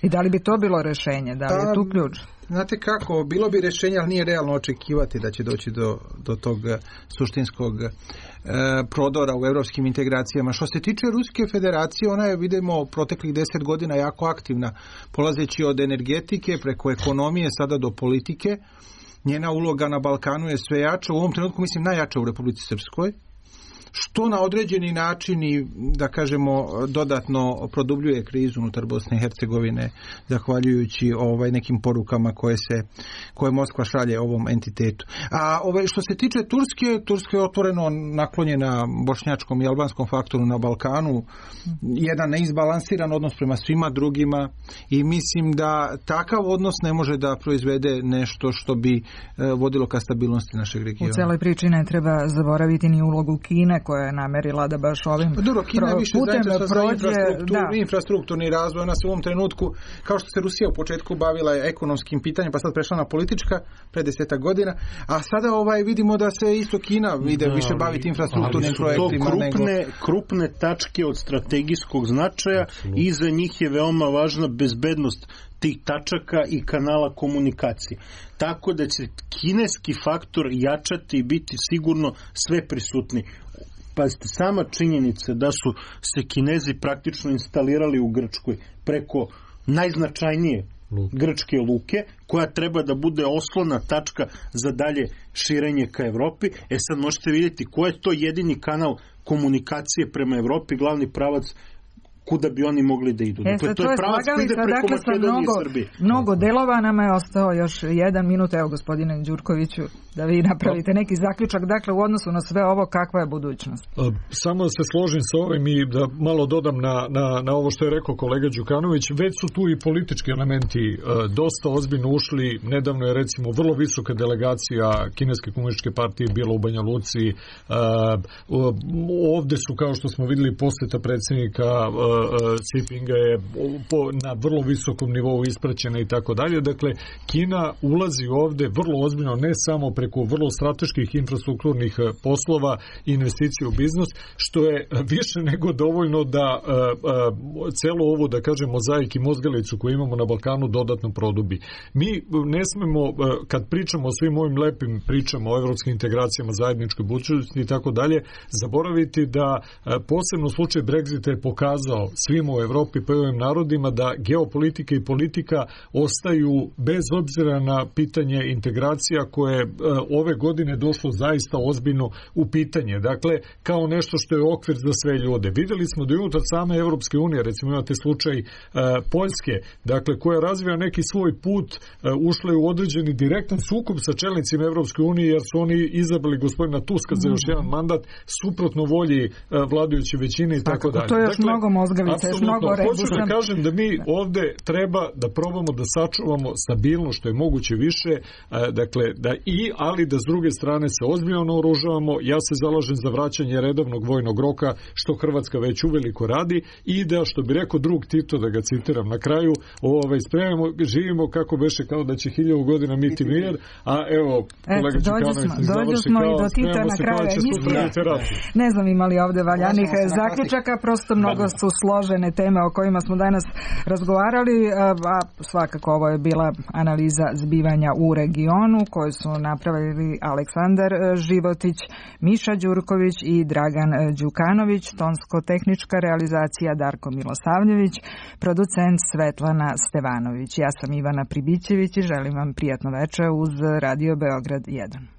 I da li bi to bilo rešenje? Da li je tu ključ? Znate kako, bilo bi rješenje, ali nije realno očekivati da će doći do, do tog suštinskog e, prodora u evropskim integracijama. Što se tiče Ruske federacije, ona je, vidimo, proteklih deset godina jako aktivna, polazeći od energetike, preko ekonomije, sada do politike. Njena uloga na Balkanu je sve jača, u ovom trenutku mislim najjača u Republici Srpskoj, što na određeni način i, da kažemo, dodatno produbljuje krizu unutar Bosne i Hercegovine, zahvaljujući ovaj nekim porukama koje se koje Moskva šalje ovom entitetu. A ovaj, što se tiče Turske, Turska je otvoreno naklonjena bošnjačkom i albanskom faktoru na Balkanu, jedan neizbalansiran odnos prema svima drugima i mislim da takav odnos ne može da proizvede nešto što bi eh, vodilo ka stabilnosti našeg regiona. U celoj priči ne treba zaboraviti ni ulogu Kine koja je namerila da baš ovim Dobro, Kina pro, više putem prođe infrastrukturni, da. infrastrukturni razvoj. Ona se u ovom trenutku, kao što se Rusija u početku bavila ekonomskim pitanjem, pa sad prešla na politička pre deseta godina, a sada ovaj vidimo da se isto Kina ide da, više baviti infrastrukturnim projektima. To krupne, nego... krupne tačke od strategijskog značaja i za njih je veoma važna bezbednost tih tačaka i kanala komunikacije. Tako da će kineski faktor jačati i biti sigurno sve prisutni. Pazite, sama činjenica da su se Kinezi praktično instalirali u Grčkoj preko najznačajnije grčke luke, koja treba da bude oslona tačka za dalje širenje ka Evropi. E sad možete vidjeti ko je to jedini kanal komunikacije prema Evropi, glavni pravac kuda bi oni mogli da idu. E, dakle, to, to je pravac koji ide preko dakle, Makedonije mnogo, i Srbije. Mnogo delova, nama je ostao još jedan minut, evo gospodine Đurkoviću, da vi napravite neki zaključak, dakle u odnosu na sve ovo, kakva je budućnost? Samo da se složim sa ovim i da malo dodam na, na, na ovo što je rekao kolega Đukanović, već su tu i politički elementi dosta ozbiljno ušli. Nedavno je recimo vrlo visoka delegacija Kineske komunističke partije bila u Banja Luci. Ovde su, kao što smo videli, posjeta predsjednika Xi Jinpinga je na vrlo visokom nivou ispraćena i tako dalje. Dakle, Kina ulazi ovde vrlo ozbiljno, ne samo preko vrlo strateških infrastrukturnih poslova i investicija u biznis, što je više nego dovoljno da celo ovo, da kažem, mozaik i mozgalicu koju imamo na Balkanu dodatno produbi. Mi ne smemo, kad pričamo o svim ovim lepim pričama o evropskim integracijama, zajedničkoj budućnosti i tako dalje, zaboraviti da posebno slučaj Brexita je pokazao svima u Evropi pa i ovim narodima da geopolitika i politika ostaju bez obzira na pitanje integracija koje je ove godine došlo zaista ozbiljno u pitanje. Dakle, kao nešto što je okvir za sve ljude. Videli smo da i unutar same Evropske unije, recimo imate slučaj uh, Poljske, dakle, koja razvija neki svoj put, uh, ušla je u određeni direktan sukob sa čelnicima Evropske unije, jer su oni izabrali gospodina Tuska za još jedan mandat suprotno volji uh, vladajuće većine i tako dalje. To je još dakle, mnogo mozgalica, još mnogo rebusa. Hoću da kažem da mi ovde treba da probamo da sačuvamo stabilno što je moguće više, uh, dakle, da i, ali da s druge strane se ozbiljno naoružavamo. Ja se zalažem za vraćanje redovnog vojnog roka, što Hrvatska već uveliko radi, i da, što bi rekao drug Tito, da ga citiram na kraju, ovaj, spremamo, živimo kako beše, kao da će hiljadu godina miti mir, a evo, kolega Đukanović se završi kao, i do Tita na kraju. Ne znam imali ovde valjanih zaključaka, prosto mnogo su složene teme o kojima smo danas razgovarali, a svakako ovo je bila analiza zbivanja u regionu koju su napravili Aleksandar Životić, Miša Đurković i Dragan Đukanović, tonsko-tehnička realizacija Darko Milosavljević, producent Svetlana Stevanović. Ja sam Ivana Pribićević i želim vam prijatno večer uz Radio Beograd jedan.